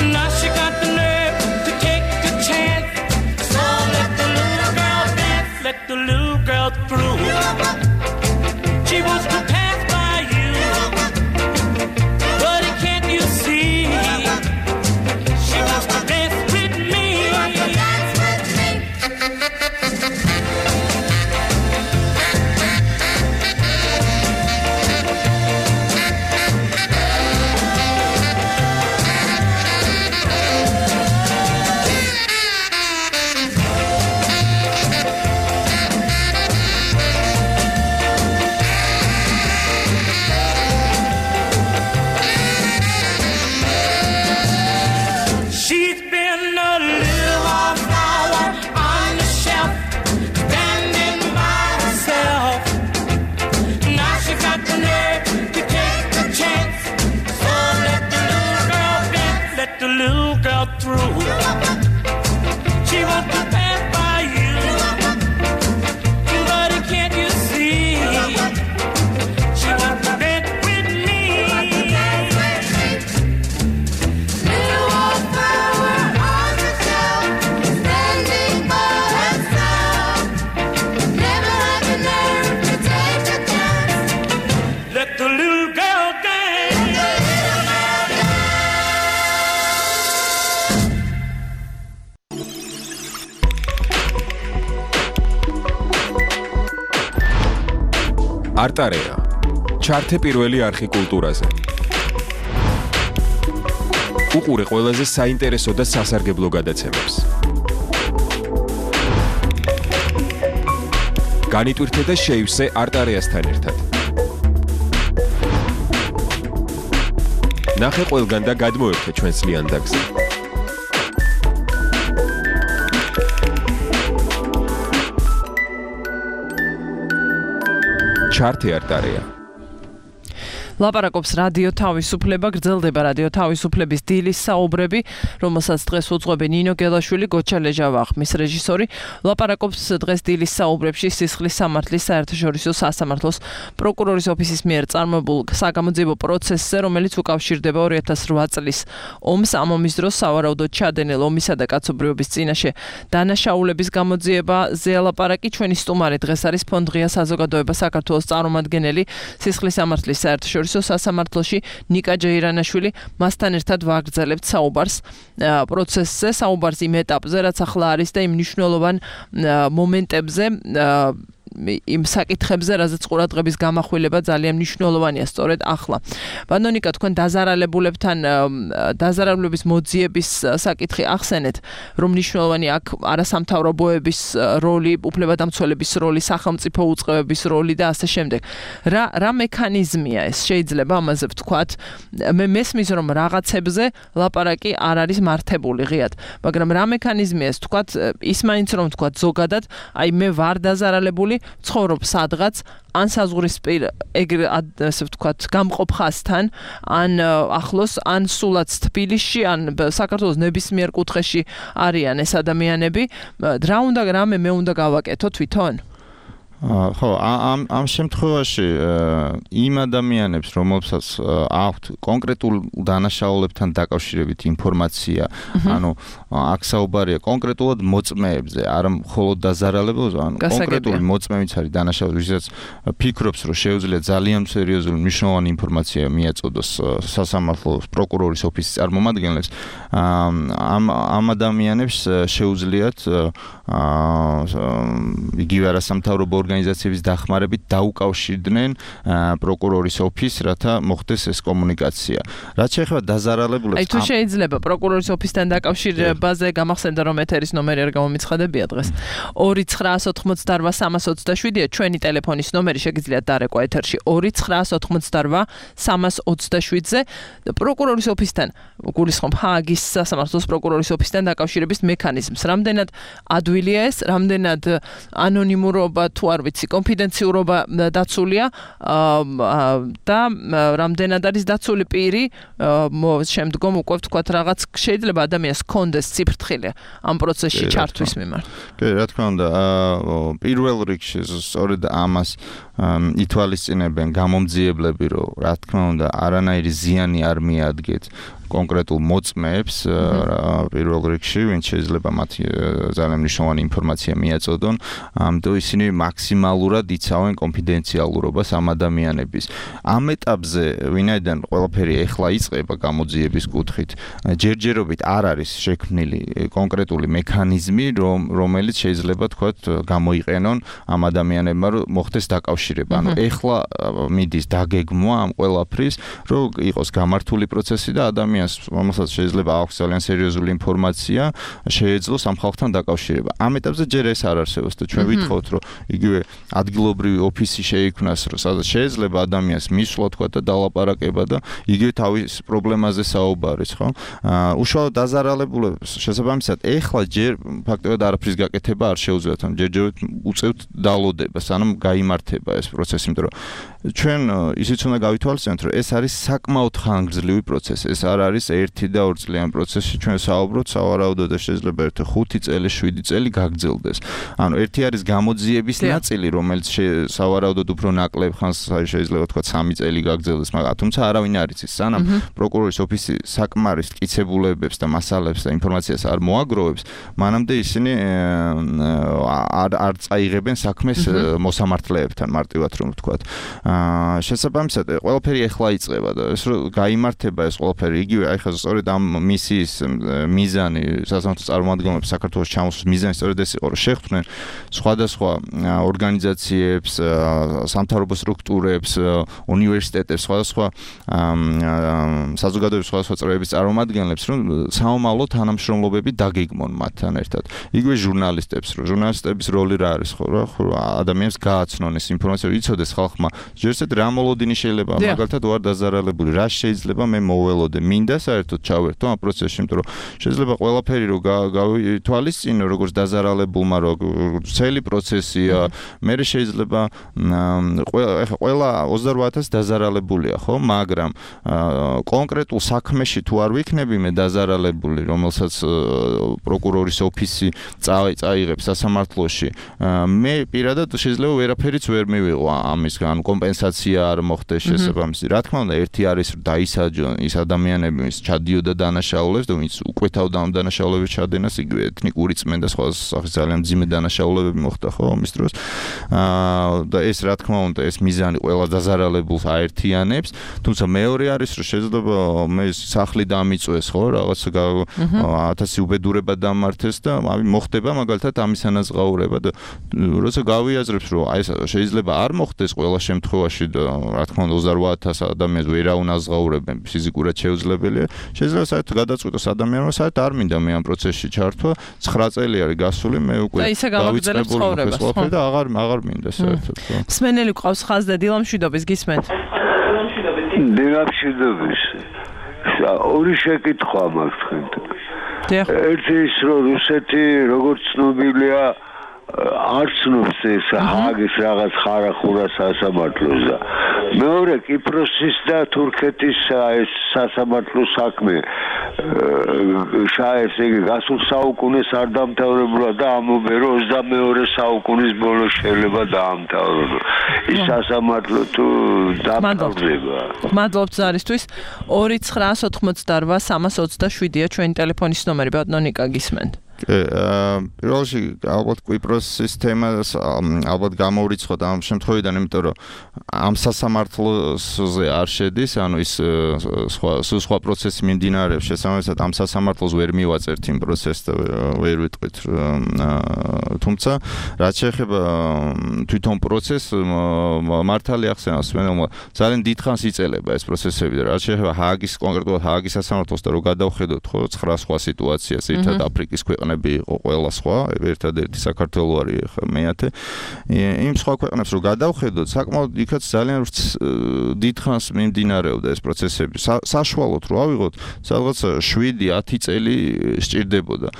Now she got the nerve to take the chance. So let the little girl dance. Let the little girl through. She wants to pass by you, but can't you see? She wants to dance with me. Dance with me. არტარეა. ჩართე პირველი არხი კულტურაზე. უყურე ყველაზე საინტერესო და სასარგებლო გადაცემებს. განიტვირთე და შეივსე არტარეასთან ერთად. ნახე ყველგან და გადმოერთე ჩვენს ლიანდაგზე. ჩართე არტარეა. ლაპარაკობს რადიო თავისუფლება, გრძელდება რადიო თავისუფლების დილის საუბრები, რომელსაც დღეს უძღვები ნინო გელაშვილი, გოჩა ლეჟავახმის რეჟისორი. ლაპარაკობს დღეს დილის საუბრებში სისხლის სამართლის საერთაშორისო სასამართლოს პროკურორის ოფისის მიერ წარმოებულ საგამოძიებო პროცესზე, რომელიც უკავშირდება ორი ათას რვა წლის ომს. ამ ომის დროს სავარაუდოდ ჩადენილ ომისა და კაცობრიობის წინაშე დანაშაულების გამოძიებაზე ლაპარაკი. ჩვენი სტუმარი დღეს არის ფონდ ღია საზოგადოება საქართველოს წარმომადგენელი სისხლის სამართლის საერთაშორისო სასამართლოში ნიკა ჯეირანაშვილი. მასთან ერთად ვაგრძელებთ საუბარს პროცესზე, საუბარს იმ ეტაპზე, რაც ახლა არის და იმ მნიშვნელოვან მომენტებზე, იმ საკითხებზე, რაზეც ყურადღების გამახვილება ძალიან მნიშვნელოვანია სწორედ ახლა. ბანონიკა, თქვენ დაზარალებულებთან დაზარალების მოძიების საკითხი ახსენეთ, რომ მნიშვნელოვანი აქ არასამთავრობოების როლი, უფლებადამცველების როლი, სახელმწიფო უწყებების როლი და ასე შემდეგ. რა რა მექანიზმია ეს? შეიძლება ამაზე ვთქვათ? მე მესმის რომ რაღაცებზე ლაპარაკი არ არის მართებული ღიად, მაგრამ რა მექანიზმია ეს? ვთქვათ, ის მაინც რომ ვთქვათ ზოგადად, აი მე ვარ დაზარალებული, ცხოვრობ სადღაც, ან საზღვრისპირ ეგრე ასე ვთქვათ გამყოფ ხაზთან, ან ახლოს, ან სულაც თბილისში, ან საქართველოს ნებისმიერ კუთხეში არიან ეს ადამიანები. რა უნდა რამე მე უნდა გავაკეთო თვითონ? ხო, ამ ამ შემთხვევაში იმ ადამიანებს, რომელსაც აქვთ კონკრეტულ დანაშაულებთან დაკავშირებით ინფორმაცია, ანუ აქ საუბარია კონკრეტულად მოწმეებზე, არა მხოლოდ დაზარალებულზე, ანუ კონკრეტული მოწმეებიც არის დანაშაულები, ვისაც ფიქრობს, რომ შეუძლია ძალიან სერიოზული მნიშვნელოვანი ინფორმაცია მიაწოდოს სასამართლოს პროკურორის ოფისის წარმომადგენლებს, ამ ამ ადამიანებს შეუძლიათ იგივე არასამთავრობო ორგანიზაციების დახმარებით დაუკავშირდნენ პროკურორის ოფისს, რათა მოხდეს ეს კომუნიკაცია. რაც შეეხება დაზარალებულებს, აი თუ შეიძლება პროკურორის ოფისთან დაკავშირებაზე გამახსენდა რომ ეთერის ნომერი არ გამომიცხადებია დღეს. ორი ცხრაას ოთხმოცდარვა სამას ოცდაშვიდია ჩვენი ტელეფონის ნომერი, შეგიძლიათ დარეკვა ეთერში ორი ცხრაას ოთხმოცდარვა სამას ოცდაშვიდზე პროკურორის ოფისთან გულისხმობ ჰააგის სასამართლოს პროკურორის ოფისთან დაკავშირების მექანიზმს. რამდენად ადვილია ეს, რამდენად ანონიმურობა თუ არ ვიცი, კონფიდენციურობა დაცულია და რამდენად არის დაცული პირი, შემდგომ უკვე ვთქვათ რაღაც შეიძლება ადამიანს კონდეს ციფრთხილი ამ პროცესში ჩართვის მიმართ. კი, რა თქმა უნდა, პირველ რიგში სწორედ ამას ითვალისწინებენ გამომძიებლები, რომ რა თქმა უნდა, არანაირი ზიანი არ მიადგეთ კონკრეტულ მოწმეებს პირველ რიგში, ვინც შეიძლება მათ ძალიან მნიშვნელოვანი ინფორმაცია მიაწოდონ, ამიტომ ისინი მაქსიმალურად იცავენ კონფიდენციალურობას ამ ადამიანების. ამ ეტაპზე, ვინაიდან ყველაფერი ეხლა იწყება გამოძიების კუთხით, ჯერჯერობით არ არის შექმნილი კონკრეტული მექანიზმი, რომელიც შეიძლება თქვათ გამოიყენონ ამ ადამიანებმა, რომ მოხდეს დაკავშირება. ანუ ეხლა მიდის დაგეგმვა ამ ყველაფრის, რომ იყოს გამართული პროცესი და ადამიანი რომელსაც შეიძლება აქვს ძალიან სერიოზული ინფორმაცია, შეეძლოს ამ ხალხთან დაკავშირება. ამ ეტაპზე ჯერ ეს არ არსებობს და ჩვენ ვითხოვთ, რომ იგივე ადგილობრივი ოფისი შეიქმნას, რომ სადაც შეიძლება ადამიანს მისვლა თქვა და დალაპარაკება და იგივე თავის პრობლემაზე საუბარის, ხო? უშუალოდ დაზარალებულებს შესაბამისად ეხლა ჯერ ფაქტობრივად არაფრის გაკეთება არ შეუძლიათ, ან ჯერჯერობით უწევთ დალოდებას, ანუ გაიმართება ეს პროცესი, იმიტომ რომ ჩვენ ისიც უნდა გავითვალისწინოთ, რომ ეს არის საკმაოდ ხანგრძლივი პროცესი, ეს არ არის ერთი და ორი წლიანი პროცესი, ჩვენ საუბრობთ სავარაუდოდ და შეიძლება ერთ ხუთი წელი, შვიდი წელი გაგრძელდეს. ანუ ერთი არის გამოძიების ნაწილი, რომელიც სავარაუდოდ უფრო ნაკლებ ხანს შეიძლება თქვა სამი წელი გაგრძელდეს, მაგრამ თუმცა არავინ არ იცის, სანამ პროკურორის ოფისი საკმარის მტკიცებულებებს და მასალებს და ინფორმაციას არ მოაგროვებს, მანამდე ისინი არ არ წაიღებენ საქმეს მოსამართლეებთან, მარტივად რომ ვთქვათ. შესაბამისად, ყველაფერი ეხლა იწყება და ეს რომ გაიმართება ეს ყველაფერი იგივე აი ხა სწორედ ამ მისიის მიზანი სასამართლოს წარმომადგენლებს საქართველოს ჩამოსვლის მიზანი სწორედ ეს იყო, რომ შეხვდნენ სხვადასხვა ორგანიზაციებს, სამთავრობო სტრუქტურებს, უნივერსიტეტებს, სხვადასხვა საზოგადოების სხვადასხვა წრეების წარმომადგენლებს, რომ საომალო თანამშრომლობები დაგეგმონ მათთან ერთად. იგივე ჟურნალისტებს, რომ ჟურნალისტების როლი რა არის, ხო, რა ადამიანს გააცნონ ეს ინფორმაცია, რომ იცოდეს ხალხმა, ჯერჯერობით რა მოლოდინი შეიძლება, მაგალითად ვარ დაზარალებული, რა შეიძლება მე მოველოდე, მინდა საერთოდ ჩავერთო ამ პროცესში, იმიტომ რომ შეიძლება ყველაფერი რომ გავითვალისწინო, როგორც დაზარალებულმა, როგორც ცელი პროცესია, მე შეიძლება ეხა ყველა ოცდაორ ათასი დაზარალებულია, ხო, მაგრამ კონკრეტულ საქმეში თუ არ ვიქნები მე დაზარალებული, რომელსაც პროკურორის ოფისი წაიღებს სასამართლოში, მე პირადად შეიძლება ვერაფერიც ვერ მივიღო ამისგან, კომპენსაცია არ მოხდეს შესაბამისი. რა თქმა უნდა, ერთი არის რომ დაისაჯონ ის ადამიანები, ვინც ჩადიოდა დანაშაულებს და ვინც უკვე თავდა ამ დანაშაულების ჩადენას, იგივე ეთნიკური წმენდა სხვა სახის ძალიან მძიმე დანაშაულებები მოხდა, ხო, ამის დროს. აა და ეს რა თქმა უნდა, ეს მიზანი ყველა დაზარალებულს აერთიანებს, თუმცა მეორე არის რომ შეიძლება მე სახლი დამიწვეს, ხო, რაღაც ათასი უბედურება დამართეს და აი მოხდება მაგალითად ამის ანაზღაურება და როცა გავიაზრებს რომ აი შეიძლება არ მოხდეს ყველა შემთხვევაში და რა თქმა უნდა ოცდაორ ათასი ადამიანს ვერ აუნაზღაურებენ ფიზიკურად შეუძლებელია, შეიძლება საერთოდ გადაწყვიტოს ადამიანმა საერთოდ არ მინდა მე ამ პროცესში ჩართვა, ცხრა წელი არის გასული, მე უკვე დავიწყებული და აღარ აღარ მინდა საერთოდ. მსმენელი ყავს ხაზზე დილამშვიდობის გისმენთ. დილამშვიდობის. ორი შეკითხვა მაქვს თქვენთან. ერთი ის რომ რუსეთი როგორც ცნობილია არ ცნობს ეს ჰააგის რაღაც ხარახურა სასამართლოს და მეორე კიპროსის და თურქეთის ეს სასამართლო საქმე შაეს იგი გასულ საუკუნეს არ დამთავრებულა და ამობენ რომ ოცდამეორე საუკუნის ბოლოს შეიძლება დაამთავროს ის სასამართლო თუ დამთავრდება. მადლობთ ზარისთვის. ორი ცხრაას ოთხმოცდაორვა სამას ოცდაშვიდია ჩვენი ტელეფონის ნომერი. ბატონო ნიკა გისმენთ. პირველ რიგში ალბათ კვიპროსის თემას ალბათ გამოვრიცხოთ ამ შემთხვევიდან, იმიტომ რომ ამ სასამართლოზე არ შედის, ანუ ის სხვა სხვა პროცესი მიმდინარეობს, შესაბამისად ამ სასამართლოს ვერ მივაწერთ იმ პროცესს და ვერ ვიტყვით. თუმცა რაც შეეხება თვითონ პროცესს, მართალი ახსენავს, მე ძალიან დიდხანს იწელება ეს პროცესები და რაც შეეხება ჰააგის კონკრეტულად ჰააგის სასამართლოს და რო გადავხედოთ ხო ცხრა სხვა სიტუაციას, ერთად აფრიკის ქვეყნები იყო ყველა სხვა, ერთადერთი საქართველო არის მეათე. იმ სხვა ქვეყნებს რო გადავხედოთ, საკმაოდ იქაც ძალიან დიდხანს მიმდინარეობდა ეს პროცესები. საშუალოდ რო ავიღოთ, სადღაც შვიდი ათი წელი სჭირდებოდა.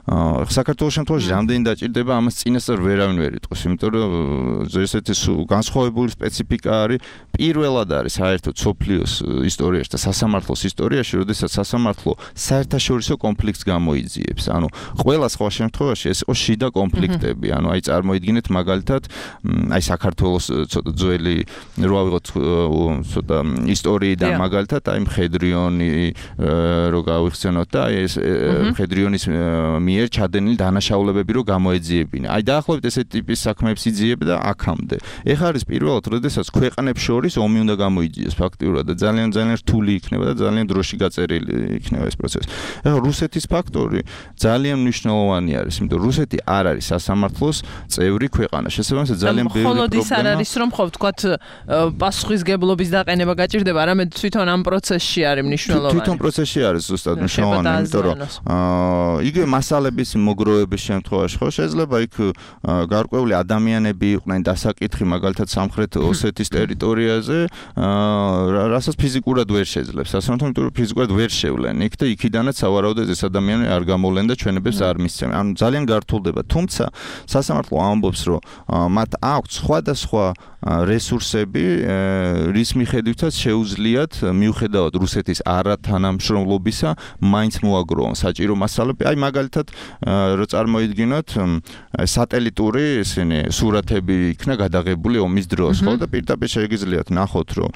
საქართველოს შემთხვევაში რამდენი დაჭირდება, ამას წინასწარ ვერავინ ვერ იტყვის, იმიტომ რომ ესეთი განსხვავებული სპეციფიკა არის. პირველად არის საერთოდ სოფლიოს ისტორიაში და სასამართლოს ისტორიაში, როდესაც სასამართლო საერთაშორისო კონფლიქტს გამოიძიებს. ანუ ყველა სხვა შემთხვევაში ეს იყო შიდა კონფლიქტები. ანუ აი წარმოიდგინეთ მაგალითად, აი საქართველოს ცოტა ძველი რო ავიღოთ ცოტა ისტორიიდან მაგალითად, აი მხედრიონი რო გავიხსენოთ და აი ეს მხედრიონის მიერ ჩადენილი დანაშაულებები რო გამოეძიებინა. აი დაახლოებით ესეთი ტიპის საქმეებს იძიებდა აქამდე. ეხლა არის პირველად, როდესაც ქვეყნებს შორის ომი უნდა გამოიძიოს ფაქტიურად და ძალიან ძალიან რთული იქნება და ძალიან დროში გაწერილი იქნება ეს პროცესი. ეხლა რუსეთის ფაქტორი ძალიან მნიშვნელოვანი არის, იმიტომ რომ რუსეთი არ არის სასამართლოს წევრი ქვეყანა. შესაბამისად ძალიან ბევრი პრობლემა. მხოლოდ ის არ არის, რომ ხო ვთქვათ პასუხისგებლობის დაყენება გაჭირდება, არამედ თვითონ ამ პროცესში არის მნიშვნელოვანი. თვითონ პროცესში არის ზუსტად მნიშვნელოვანი, იმიტომ რომ იგივე მასალების მოგროვების შემთხვევაში ხო შეიძლება იქ გარკვეული ადამიანები იყვნენ დასაკითხი მაგალითად სამხრეთ ოსეთის ტერიტორიაზე, რასაც ფიზიკურად ვერ შეძლებს. სასამართლო, იმიტომ რომ ფიზიკურად ვერ შევლენ იქ და იქიდანაც სავარაუდოდ ეს ადამიანები არ გამოვლენ და ჩვენებებს არ მისცემენ. ანუ ძალიან გართულდება. თუმცა სასამართლო ამბობს, რომ მათ აქვს სხვადასხვა რესურსები, რის მიხედვითაც შეუძლიათ მიუხედავად რუსეთის არათანამშრომლობისა, მაინც მოაგროვონ საჭირო მასალები. აი მაგალითად, რო წარმოიდგინოთ, სატელიტური ისინი სურათები იქნა გადაღებული ომის დროს, ხო და პირდაპირ შეგიძლიათ ნახოთ, რომ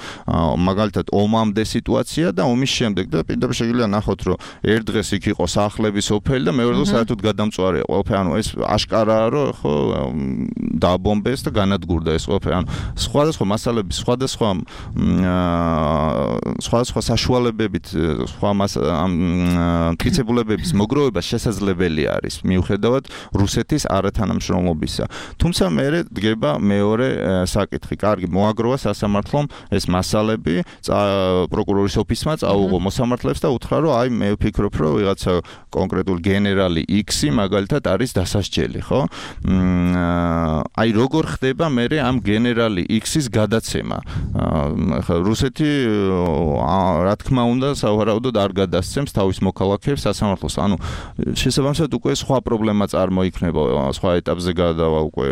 მაგალითად ომამდე სიტუაცია და ომის შემდეგ და პირდაპირ შეგიძლიათ ნახოთ, რომ ერთ დღეს იქ იყო სახლები, სოფელი და მეორე დღეს საერთოდ გადამწვარია ყველაფერი. ანუ ეს აშკარაა, რომ ხო დააბომბეს და განადგურდა ეს ყველაფერი. ანუ სხვადასხვა მასალების, სხვადასხვა სხვადასხვა საშუალებებით, სხვა მტკიცებულებების მოგროვება შესაძლებელი არის, მიუხედავად რუსეთის არათანამშრომლობისა. თუმცა მე დგება მეორე საკითხი. კარგი, მოაგროვა სასამართლომ ეს მასალები, პროკურორის ოფისმა წაუღო მოსამართლეებს და უთხრა, რომ აი მე ვფიქრობ, რომ ვიღაცა კონკრეტული გენერალი X მაგალითად არის დასასჯელი, ხო? აი როგორ ხდება მე ამ გენერალი X-ის გადაცემა? ხა რუსეთი რა თქმა უნდა სავარაუდოდ არ გადასცემს თავის მოქალაქეებს სასამართლოს. ანუ შესაბამისად უკვე სხვა პრობლემა წარმოიქმნება, სხვა ეტაპზე გადავა უკვე,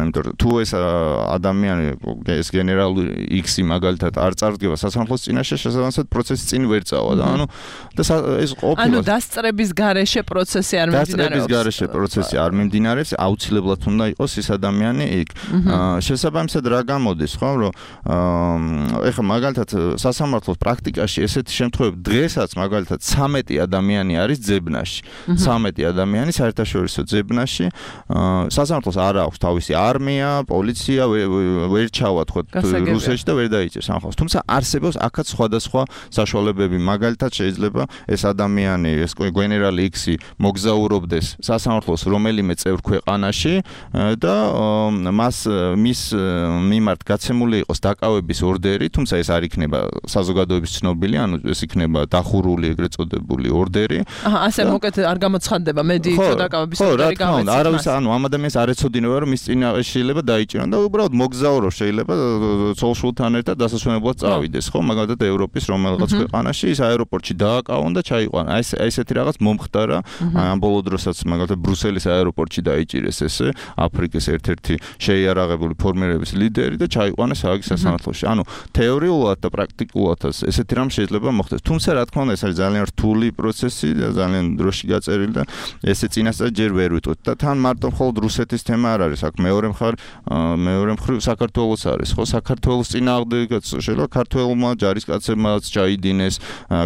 იმიტომ რომ თუ ეს ადამიანი ეს გენერალი X-ი მაგალითად არ წარდგება სასამართლოს წინაშე, შესაბამისად პროცესი წინ ვერ წავა და ანუ და ეს ყოფილა ანუ დასწრების გარეშე პროცესი არ მიმდინარეობს. დასწრების გარეშე პროცესი არ მიმდინარეობს, აუცილებლად უნდა იყოს ეს ადამიანი იქ. შესაბამისად რა გამოდის, ხო, რომ ეხლა მაგალითად სასამართლოს პრაქტიკაში ესეთი შემთხვევები დღესაც მაგალითად ცამეტი ადამიანი არის ძებნაში. ცამეტი ადამიანი საერთაშორისო ძებნაში. სასამართლოს არ აქვს თავისი არმია, პოლიცია, ვერ ჩავა თქო რუსეთში და ვერ დაიჭერს ამ ხალხს. თუმცა არსებობს აქაც სხვადასხვა საშუალებები. მაგალითად შეიძლება ეს ადამიანი, ეს გენერალი X-ი მოგზაურობდეს სასამართლოს რომელიმე წევრ ქვეყანაში და მას მის მიმართ გაცემული იყოს დაკავების ორდერი, თუმცა ეს არ იქნება საზოგადოების ცნობილი, ანუ ეს იქნება დახურული ეგრეთ წოდებული ორდერი. აჰა, ასე მოკეთ არ გამოცხადდება ხდება მედიით დაკავების ორი გავეცით. არავის ანუ ამ ადამიანს არ ეცოდინება რომ ის წინა შეიძლება დაიჭირონ და უბრალოდ მოგზაურო შეიძლება ცოლ-შვილთან ერთად დასასვენებლად წავიდეს ხო მაგალითად ევროპის რომელიღაც ქვეყანაში ის აეროპორტში დააკავონ და ჩაიყვანა. აი ესეთი რაღაც მომხდარა ამ ბოლო დროსაც მაგალითად ბრუსელის აეროპორტში დაიჭირეს ესე აფრიკის ერთ-ერთი შეიარაღებული ფორმირების ლიდერი და ჩაიყვანეს ააგის სასამართლოში. ანუ თეორიულად და პრაქტიკულადაც ესეთი რამ შეიძლება მოხდეს. თუმცა რა თქმა უნდა ეს არის ძალიან რთული პროცესი და ძალიან დროში გაწერილი და ესე წინასწარ ჯერ ვერ ვიტყვით და თან მარტო მხოლოდ რუსეთის თემა არ არის აქ მეორე მხარ მეორე მხრივ საქართველოს არის ხო საქართველოს წინააღმდეგაც შეიძლება ქართველმა ჯარისკაცებმაც ჩაიდინეს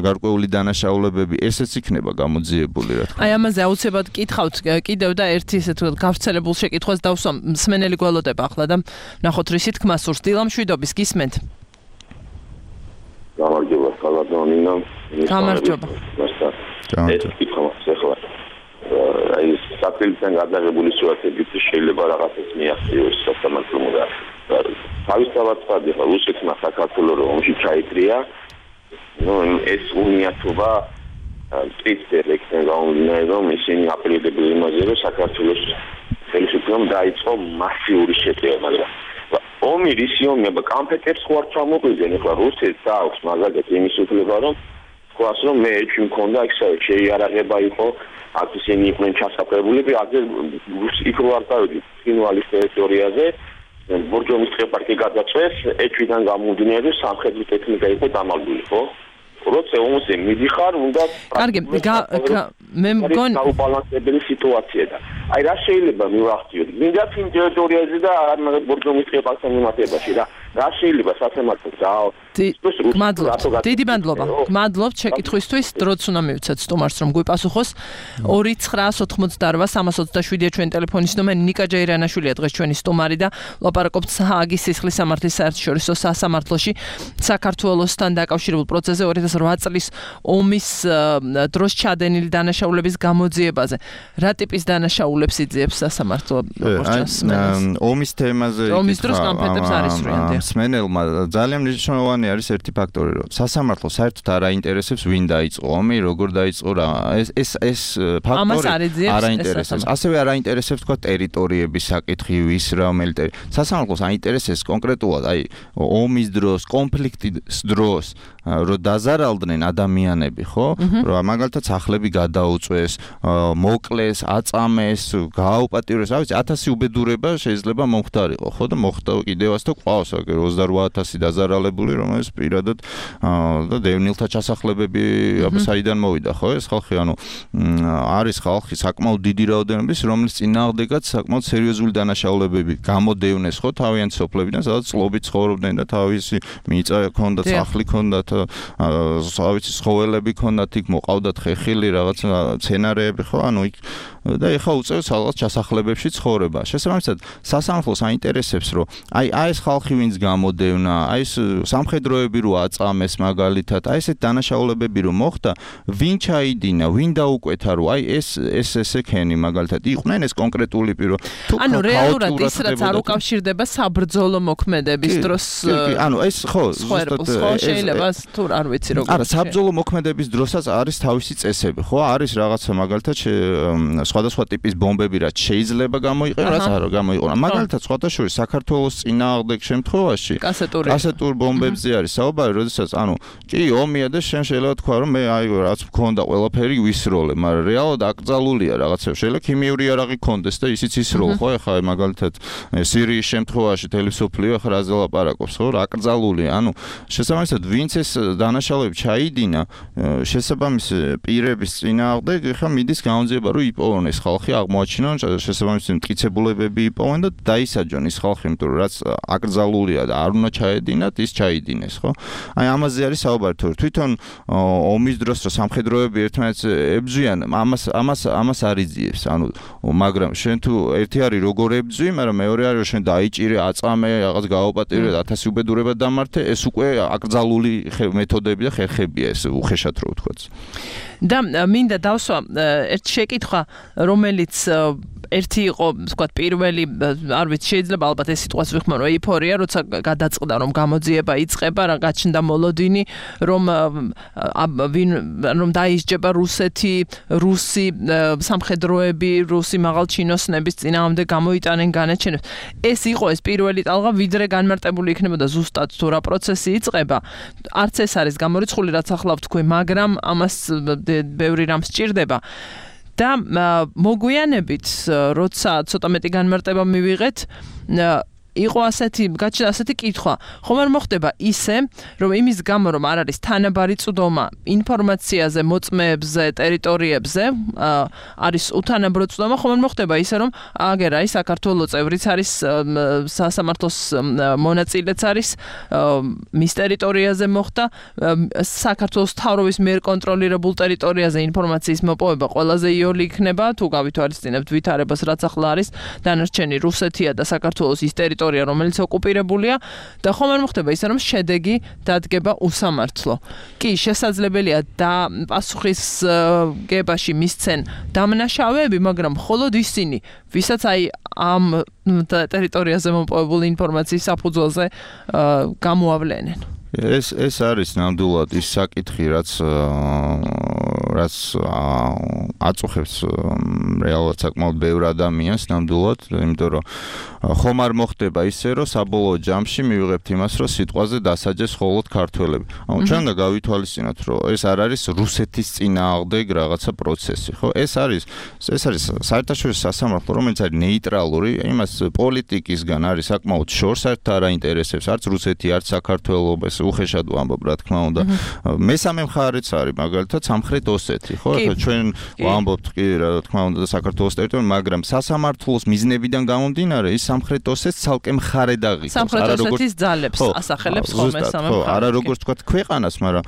გარკვეული დანაშაულებები ესეც იქნება გამოძიებული რა თქმა უნდა. აი ამაზე აუცილებლად კითხავთ კიდევ და ერთი ესე თქო გავრცელებულ შეკითხვას დავსვამ მსმენელი გველოდება ახლა და ნახოთ რისი თქმა სურს დილამშვიდობის გისმენთ. გამარჯობა სალადონინა. გამარჯობა. ეს კითხვა ახლა აი საფრთხიდან გადაღებული სიტუაციებით შეიძლება რაღაცას მიაღწიოს სასამართლომ და თავისთავად ხადი ხა რუსეთმა საქართველოს ომში ჩაიქრია ნუ ეს უნიათობა წიწერ ექცენ გაუნდნა რომ ისინი აპელირებდნენ იმაზე რომ საქართველოს ხელისუფლებამ დაიწყო მასიური შეტევა მაგრამ ომი რისი ომია კამპეტებს ხო არ ჩამოგვიძენ ახლა რუსეთს აქვს მაგალითად იმის უფლება რომ თქვას რომ მე ეჭვი მქონდა ისე შეიარაღება იყო აქ ისინი იყვნენ ჩასაფრებულები აქ იქ რო არ დავიდი ფინალის ტერიტორიაზე ბორჯომის ტყეპარკი გადაწვეს ეჭვიდან გამომდინარე სამხედრო ტექნიკა იყო დამალული ხო როცა ომზე მიდიხარ უნდა კარგი მე მგონი დაუბალანსებელი სიტუაცია და აი რა შეიძლება მივახციოთ მინდა ფინ ტერიტორიაზე და არ ბორჯომის ტყეპარკთან მიმართებაში რა რა შეიძლება სასამართლო და გმადლობთ დიდი მადლობა გმადლობთ შეკითხვისთვის დროც უნდა მივცეთ სტუმარს რომ გვიპასუხოს ორი ცხრაას ოცდაოთხმოცდაორვა სამას ოცდაშვიდია ჩვენი ტელეფონის ნომერი ნიკა ჯეირანაშვილია დღეს ჩვენი სტუმარი და ლაპარაკობთ ჰააგის სისხლის სამართლის საერთაშორისო სასამართლოში საქართველოსთან დაკავშირებულ პროცესზე ორი ათას ოთხ წლის ომის დროს ჩადენილი დანაშაულების გამოძიებაზე რა ტიპის დანაშაულებს იძიებს სასამართლო ომის თემაზე ომის დროს კამპეტებს არ ისვრიან მსმენელმა ძალიან მნიშვნელოვანი არის ერთი ფაქტორი რომ სასამართლო საერთოდ არ აინტერესებს ვინ დაიწყო ომი როგორ დაიწყო რა ეს ეს ეს ფაქტორი არ აინტერესებს ასევე არ აინტერესებს თქვა ტერიტორიების საკითხი ვის რომელი სასამართლოს აინტერესებს კონკრეტულად აი ომის დროს კონფლიქტის დროს რომ დაზარალდნენ ადამიანები ხო რომ მაგალითად სახლები გადაუწვეს მოკლეს აწამეს გააუპატიურეს რა ვიცი ათასი უბედურება შეიძლება მომხდარიყო ხო და მოხდა კიდევაც და ყავს ოცდაოთხ ათასი დაზარალებული რომელიც პირადად და დევნილთა ჩასახლებები აბა საიდან მოვიდა ხო ეს ხალხი ანუ არის ხალხი საკმაოდ დიდი რაოდენობის რომლის წინააღმდეგაც საკმაოდ სერიოზული დანაშაულებები გამოდევნეს ხო თავიანთ სოფლებიდან სადაც წლობით ცხოვრობდნენ და თავისი მიწა ჰქონდათ სახლი ჰქონდათ ავიცი ცხოველები ჰქონდათ იქ მოყავდათ ხეხილი რაღაც სცენარეები ხო ანუ იქ და ეხა უწევს რაღაც ჩასახლებებში ცხოვრება. შესაბამისად, სასამართლოს აინტერესებს, რომ აი აი ეს ხალხი ვინც გამოდევნა, აი ეს სამხედროები რო აწამეს მაგალითად, აი ესეთ დანაშაულებები რო მოხდა, ვინ ჩაიდინა, ვინ დაუკვეთა, რომ აი ეს ეს ესექენი მაგალითად იყვნენ ეს კონკრეტული პირო. ანუ რეალურად ის რაც არ უკავშირდება საბრძოლო მოქმედების დროს ანუ ეს ხო ზუსტად შეიძლება თუ არ ვიცი როგორ არა საბრძოლო მოქმედების დროსაც არის თავისი წესები ხო არის რაღაცა მაგალითად სხვადასხვა ტიპის ბომბები რაც შეიძლება გამოიყენოს რაც არ გამოიყენოს მაგალითად სხვადასხვა საქართველოს წინააღმდეგ შემთხვევაში კასეტურ ბომბებზე არის საუბარი როდესაც ანუ კი ომია და შენ შეიძლება თქვა რომ მე აი რაც მქონდა ყველაფერი ვისროლე მაგრამ რეალურად აკრძალულია რაღაცა შეიძლება ქიმიური იარაღი ქონდეს და ისიც ისროლ ხო ეხლა მაგალითად სირიის შემთხვევაში თელესოფლიო ახლა რაზე ლაპარაკობს ხო რა აკრძალულია ანუ შესაბამისად ვინც ეს დანაშაულები ჩაიდინა შესაბამის პირების წინააღმდეგ ეხლა მიდის გამოძიება რომ იპოვონ ეს ხალხი აღმოაჩინონ შესაბამისი მტკიცებულებები იპოვონ და დაისაჯონ ის ხალხი იმიტომ რომ რაც აკრძალულია და არ უნდა ჩაედინათ ის ჩაიდინეს ხო აი ამაზე არის საუბარი თუ თვითონ ომის დროს რომ სამხედროები ერთმანეთს ებძვიან ამას ამას ამას არ იძიებს ანუ მაგრამ შენ თუ ერთი არის როგორ ებძვი მაგრამ მეორე არის რომ შენ დაიჭირე აწამე რაღაც გააუპატიურე ათასი უბედურება დამართე ეს უკვე აკრძალული მეთოდები და ხერხებია ეს უხეშად რო ვთქვათ და მინდა დავსვა ერთ შეკითხვა რომელიც ერთი იყო, ვთქვათ, პირველი, არ ვიცი, შეიძლება ალბათ ეს სიტყვას ვიხმარო, ეიფორია, როცა გადაწყდა, რომ გამოძიება იწყება, რა გაჩნდა მოლოდინი, რომ რომ დაისჯება რუსეთი, რუსი სამხედროები, რუსი მაღალჩინოსნების წინააღმდეგ გამოიტანენ განაჩენებს. ეს იყო ეს პირველი ტალღა, ვიდრე განმარტებული იქნებოდა ზუსტად თუ რა პროცესი იწყება. არც ეს არის გამორიცხული, რაც ახლა ვთქვი, მაგრამ ამას ბევრი რამ სჭირდება. და მოგვიანებით, როცა ცოტა მეტი განმარტება მივიღეთ, იყო ასეთი, გაჩნდა ასეთი კითხვა. ხომ არ მოხდება ისე, რომ იმის გამო, რომ არ არის თანაბარი წვდომა ინფორმაციაზე, მოწმეებზე, ტერიტორიებზე, არის უთანაბრო წვდომა, ხომ არ მოხდება ისე, რომ აგერა ის საქართველოს წევრიც არის, სასამართლოს მონაწილეც არის, მის ტერიტორიაზე მოხდა, საქართველოს მთავრობის მიერ კონტროლირებულ ტერიტორიაზე ინფორმაციის მოპოვება ყველაზე იოლი იქნება, თუ გავითვალისწინებთ ვითარებას, რაც ახლა არის, დანარჩენი რუსეთია და საქართველოს ის ტერიტორია რომელიც ოკუპირებულია და ხომ არ მოხდება ისე რომ შედეგი დადგება უსამართლო. კი, შესაძლებელია და პასუხისგებაში მისცენ დამნაშავეები, მაგრამ მხოლოდ ისინი, ვისაც აი ამ ტერიტორიაზე მოპოვებული ინფორმაციის საფუძველზე გამოავლენენ. ეს ეს არის ნამდვილად ის საკითხი, რაც რაც აწუხებს რეალურად საკმაოდ ბევრ ადამიანს ნამდვილად, იმიტომ რომ ხომ არ მოხდება ისე, რომ საბოლოო ჯამში მივიღებთ იმას, რომ სიტყვაზე დასაჯეს მხოლოდ ქართველები. ანუ ჩვენ და გავითვალისწინოთ, რომ ეს არ არის რუსეთის წინააღმდეგ რაღაცა პროცესი, ხო? ეს არის ეს არის საერთაშორისო სასამართლო, რომელიც არის ნეიტრალური, იმას პოლიტიკისგან არის საკმაოდ შორს, საერთოდ არ აინტერესებს არც რუსეთი, არც საქართველოს უხეშად ვამბობ, რა თქმა უნდა. მესამე მხარეც არის, მაგალითად, სამხრეთ ოსეთი, ხო? ახლა ჩვენ ვამბობთ კი, რა თქმა უნდა, საქართველოს ტერიტორია, მაგრამ სასამართლოს მიზნებიდან გამომდინარე, ის სამხრეთ ოსეთს ცალკე მხარედ აღიქვამს. სამხრეთ ოსეთის ძალებს ასახელებს ხოლმე სამი მხარე. არა როგორც თქვა ქვეყანას, მაგრამ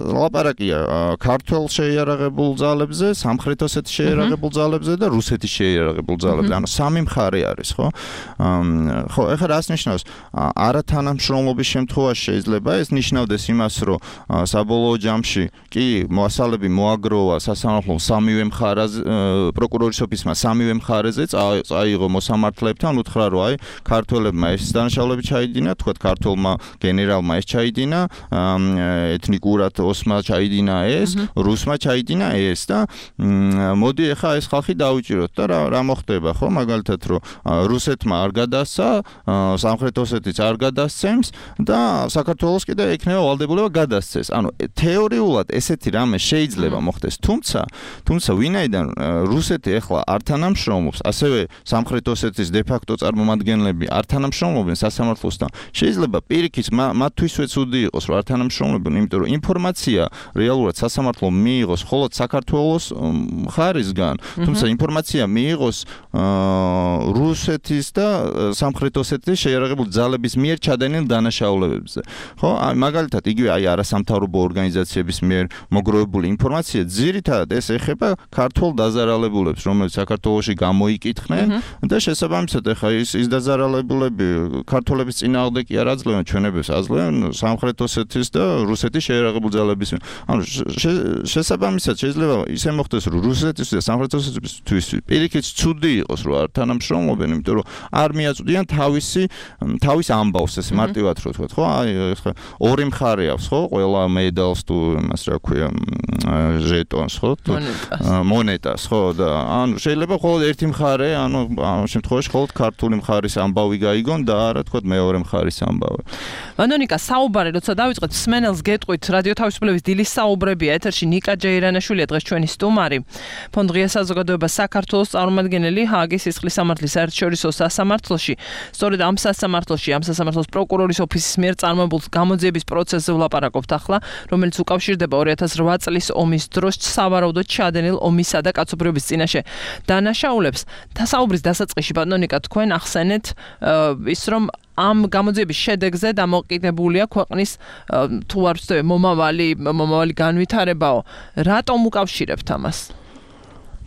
ლაპარაკია ქართულ შეიარაღებულ ძალებზე, სამხრეთ ოსეთის შეიარაღებულ ძალებზე და რუსეთის შეიარაღებულ ძალებზე. ანუ სამი მხარე არის, ხო? ხო, ეხლა რას ნიშნავს? არათანამშრომლობის შემთხვევაში შეიძლება ეს ნიშნავდეს იმას, რომ საბოლოო ჯამში კი მასალები მოაგროვა სასამართლომ სამივე მხარაზე, პროკურორის ოფისმა სამივე მხარეზე წაიღო მოსამართლეებთან, უთხრა რომ აი ქართველებმა ეს დანაშაულები ჩაიდინა, თქვათ ქართველმა გენერალმა ეს ჩაიდინა, ეთნიკურად ოსმა ჩაიდინა ეს, რუსმა ჩაიდინა ეს და მოდი ახლა ეს ხალხი დავიჭიროთ და რა რა მოხდება, ხო? მაგალითად რომ რუსეთმა არ გადასცა, სამხრეთ ოსეთიც არ გადასცემს და საქართველოს კიდე ექნება ვალდებულება გადასცეს. ანუ თეორიულად ესეთი რამე შეიძლება მოხდეს, თუმცა თუმცა ვინაიდან რუსეთი ახლა არ თანამშრომლობს, ასევე სამხრეთ ოსეთის დე-ფაქტო წარმომადგენლები არ თანამშრომლობენ სასამართლოსთან, შეიძლება პირიქით მათთვისვე ცუდი იყოს, რომ არ თანამშრომლობენ, იმიტომ რომ ინფორმაცია რეალურად სასამართლომ მიიღოს მხოლოდ საქართველოს მხარისგან, თუმცა ინფორმაცია მიიღოს რუსეთის და სამხრეთ ოსეთის შეიარაღებული ძალების მიერ ჩადენილ დანაშაულებებზე. ხო, მაგალითად, იგივე აი არასამთავრობო ორგანიზაციების მიერ მოგროვებული ინფორმაცია ძირითადად ეს ეხება ქართულ დაზარალებულებს, რომელიც საქართველოში გამოიკითხნენ და შესაბამისად ახლა ის ის დაზარალებულები ქართველების წინააღმდეგ კი არ აძლევენ ჩვენებს, აძლევენ სამხრეთ ოსეთის და რუსეთის შეიარაღებული ძალების. ანუ შესაბამისად შეიძლება ისე მოხდეს, რომ რუსეთის და სამხრეთ ოსეთის პირიქით ცუდი იყოს, რომ არ თანამშრომლობენ, იმიტომ რომ არ მიაწვდიან თავისი თავის ამბავს, ესე მარტივად რო თქვა, ხო? აი ხა ორი მხარე აქვს, ხო? ყველა მედალს თუ იმას რა ქვია, ჟეტონს, ხო? მონეტას, ხო? და ანუ შეიძლება მხოლოდ ერთი მხარე, ანუ ამ შემთხვევაში მხოლოდ ქართული მხარის ამბავი გაიგონ და არა თქვა მეორე მხარის ამბავი. ვანონიკა, საუბარი როცა დავიწყეთ, სმენელს გეტყვით, რადიო თავისუფლების დილის საუბრებია ეთერში, ნიკა ჯეირანაშვილია დღეს ჩვენი სტუმარი. ფონდ ღია საზოგადოება საქართველოს წარმომადგენელი ჰააგის სისხლის სამართლის საერთაშორისო სასამართლოში. სწორედ ამ სასამართლოში, ამ სასამართლოს პროკურორის ოფისის მიერ წარმოებულ გამოძიების პროცესზე ვლაპარაკობთ ახლა, რომელიც უკავშირდება ორი ათას რვა წლის ომის დროს სავარაუდოდ ჩადენილ ომისა და კაცობრიობის წინაშე დანაშაულებს. საუბრის დასაწყისში, ბატონიკა, თქვენ ახსენეთ ის, რომ ამ გამოძიების შედეგზე დამოკიდებულია ქვეყნის თუ არ ვცდები მომავალი მომავალი განვითარებაო. რატომ უკავშირებთ ამას?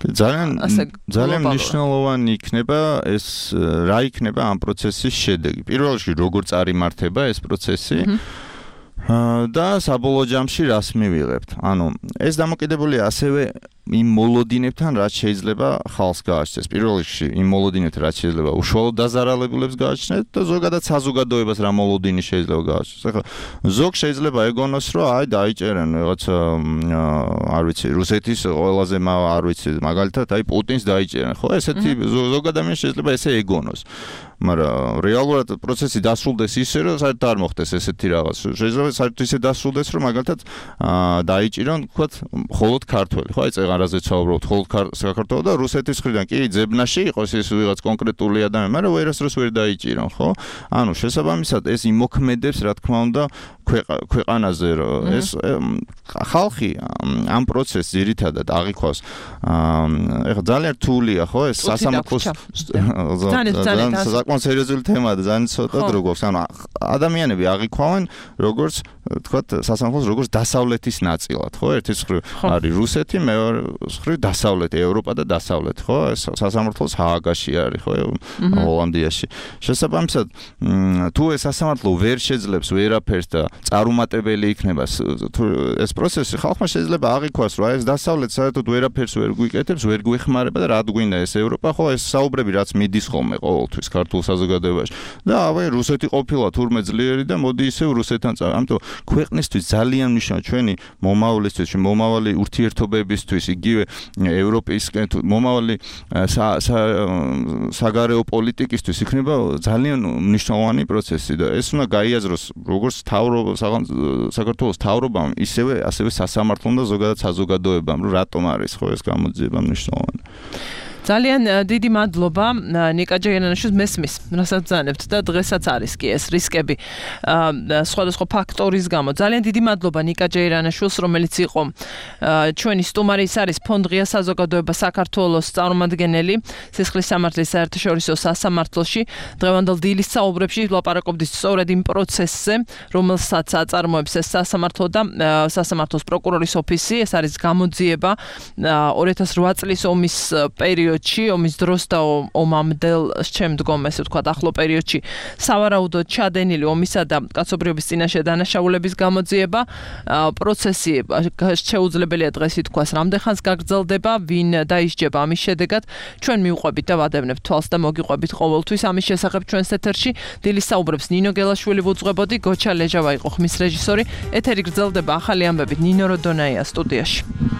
ძალიან ძალიან მნიშვნელოვანი იქნება ეს რა იქნება ამ პროცესის შედეგი. პირველ რიგში როგორ წარიმართება ეს პროცესი და საბოლოო ჯამში რას მივიღებთ. ანუ ეს დამოკიდებულია ასევე იმ მოლოდინებთან რაც შეიძლება ხალხს გააჩნდეს. პირველ რიგში იმ მოლოდინებთან რაც შეიძლება უშუალოდ დაზარალებულებს გააჩნდეს და ზოგადად საზოგადოებას რა მოლოდინი შეიძლება გააჩნდეს. ახლა ზოგ შეიძლება ეგონოს რომ აი დაიჭერენ რაღაცა არ ვიცი რუსეთის ყველაზე არ ვიცი მაგალითად აი პუტინს დაიჭერენ. ხო ესეთი ზოგ ადამიანს შეიძლება ესე ეგონოს. მაგრამ რეალურად პროცესი დასრულდეს ისე რომ საერთოდ არ მოხდეს ესეთი რაღაც. შეიძლება საერთოდ ისე დასრულდეს რომ მაგალითად დაიჭირონ თქვათ მხოლოდ ქართველი. ხო აი წეგან რაზეც საუბრობთ მხოლოდ საქართველო და რუსეთის მხრიდან კი ძებნაში იყოს ეს ვიღაც კონკრეტული ადამიანი, მაგრამ ვერასდროს ვერ დაიჭირონ, ხო? ანუ შესაბამისად ეს იმოქმედებს რა თქმა უნდა ქვეყანაზე რომ ეს ხალხი ამ პროცესს ძირითადად აღიქვას ეხლა ძალიან რთულია ხო ეს სასამართლოს ძალიან საკმაოდ სერიოზული თემაა და ძალიან ცოტა დრო გვაქვს ანუ ადამიანები აღიქვავენ როგორც თქვათ სასამართლოს როგორც დასავლეთის ნაწილად ხო ერთის მხრივ არის რუსეთი მეორე მხრივ დასავლეთი ევროპა და დასავლეთი ხო ეს სასამართლოს ჰააგაში არის ხო ჰოლანდიაში შესაბამისად თუ ეს სასამართლო ვერ შეძლებს ვერაფერს და წარუმატებელი იქნება ეს პროცესი ხალხმა შეიძლება აღიქვას რომ ეს დასავლეთ საერთოდ ვერაფერს ვერ გვიკეთებს ვერ გვეხმარება და რა გვინდა ეს ევროპა ხო ეს საუბრები რაც მიდის ხოლმე ყოველთვის ქართულ საზოგადოებაში და ავე რუსეთი ყოფილა თურმე ძლიერი და მოდი ისევ რუსეთთან წავა ამიტომ ქვეყნისთვის ძალიან მნიშვნელოვანი ჩვენი მომავლისთვის მომავალი ურთიერთობებისთვის იგივე ევროპისკენ მომავალი საგარეო პოლიტიკისთვის იქნება ძალიან მნიშვნელოვანი პროცესი და ეს უნდა გაიაზროს როგორც თავრობა საქართველოს თავრობამ ისევე ასევე სასამართლომ და ზოგადად საზოგადოებამ რომ რატომ არის ხო ეს გამოძიება მნიშვნელოვანი ძალიან დიდი მადლობა ნიკა ჯერიანაშვილს მესმის რასაც ბრძანებთ და დღესაც არის კი ეს რისკები სხვადასხვა ფაქტორის გამო ძალიან დიდი მადლობა ნიკა ჯერიანაშვილს რომელიც იყო ჩვენი სტუმარი ის არის ფონდ ღია საზოგადოება საქართველოს წარმომადგენელი სისხლის სამართლის საერთაშორისო სასამართლოში დღევანდელ დილის საუბრებში ვლაპარაკობდით სწორედ იმ პროცესზე რომელსაც აწარმოებს ეს სასამართლო და სასამართლოს პროკურორის ოფისი ეს არის გამოძიება ორი ათას ოთხ წლის ომის პერიოდში ომის დროს და ომამდელ შემდგომ ესე ვთქვათ ახლო პერიოდში სავარაუდოდ ჩადენილი ომისა და კაცობრიობის წინაშე დანაშაულების გამოძიება პროცესი შეუძლებელია დღეს ითქვას რამდენხანს გაგრძელდება ვინ დაისჯება ამის შედეგად ჩვენ მივყვებით და ვადევნებთ თვალს და მოგიყვებით ყოველთვის ამის შესახებ ჩვენს ეთერში დილის საუბრებს ნინო გელაშვილი ვუძღვებოდი გოჩა ლეჟავა იყო ხმის რეჟისორი ეთერი გრძელდება ახალი ამბებით ნინო როდონაია სტუდიაში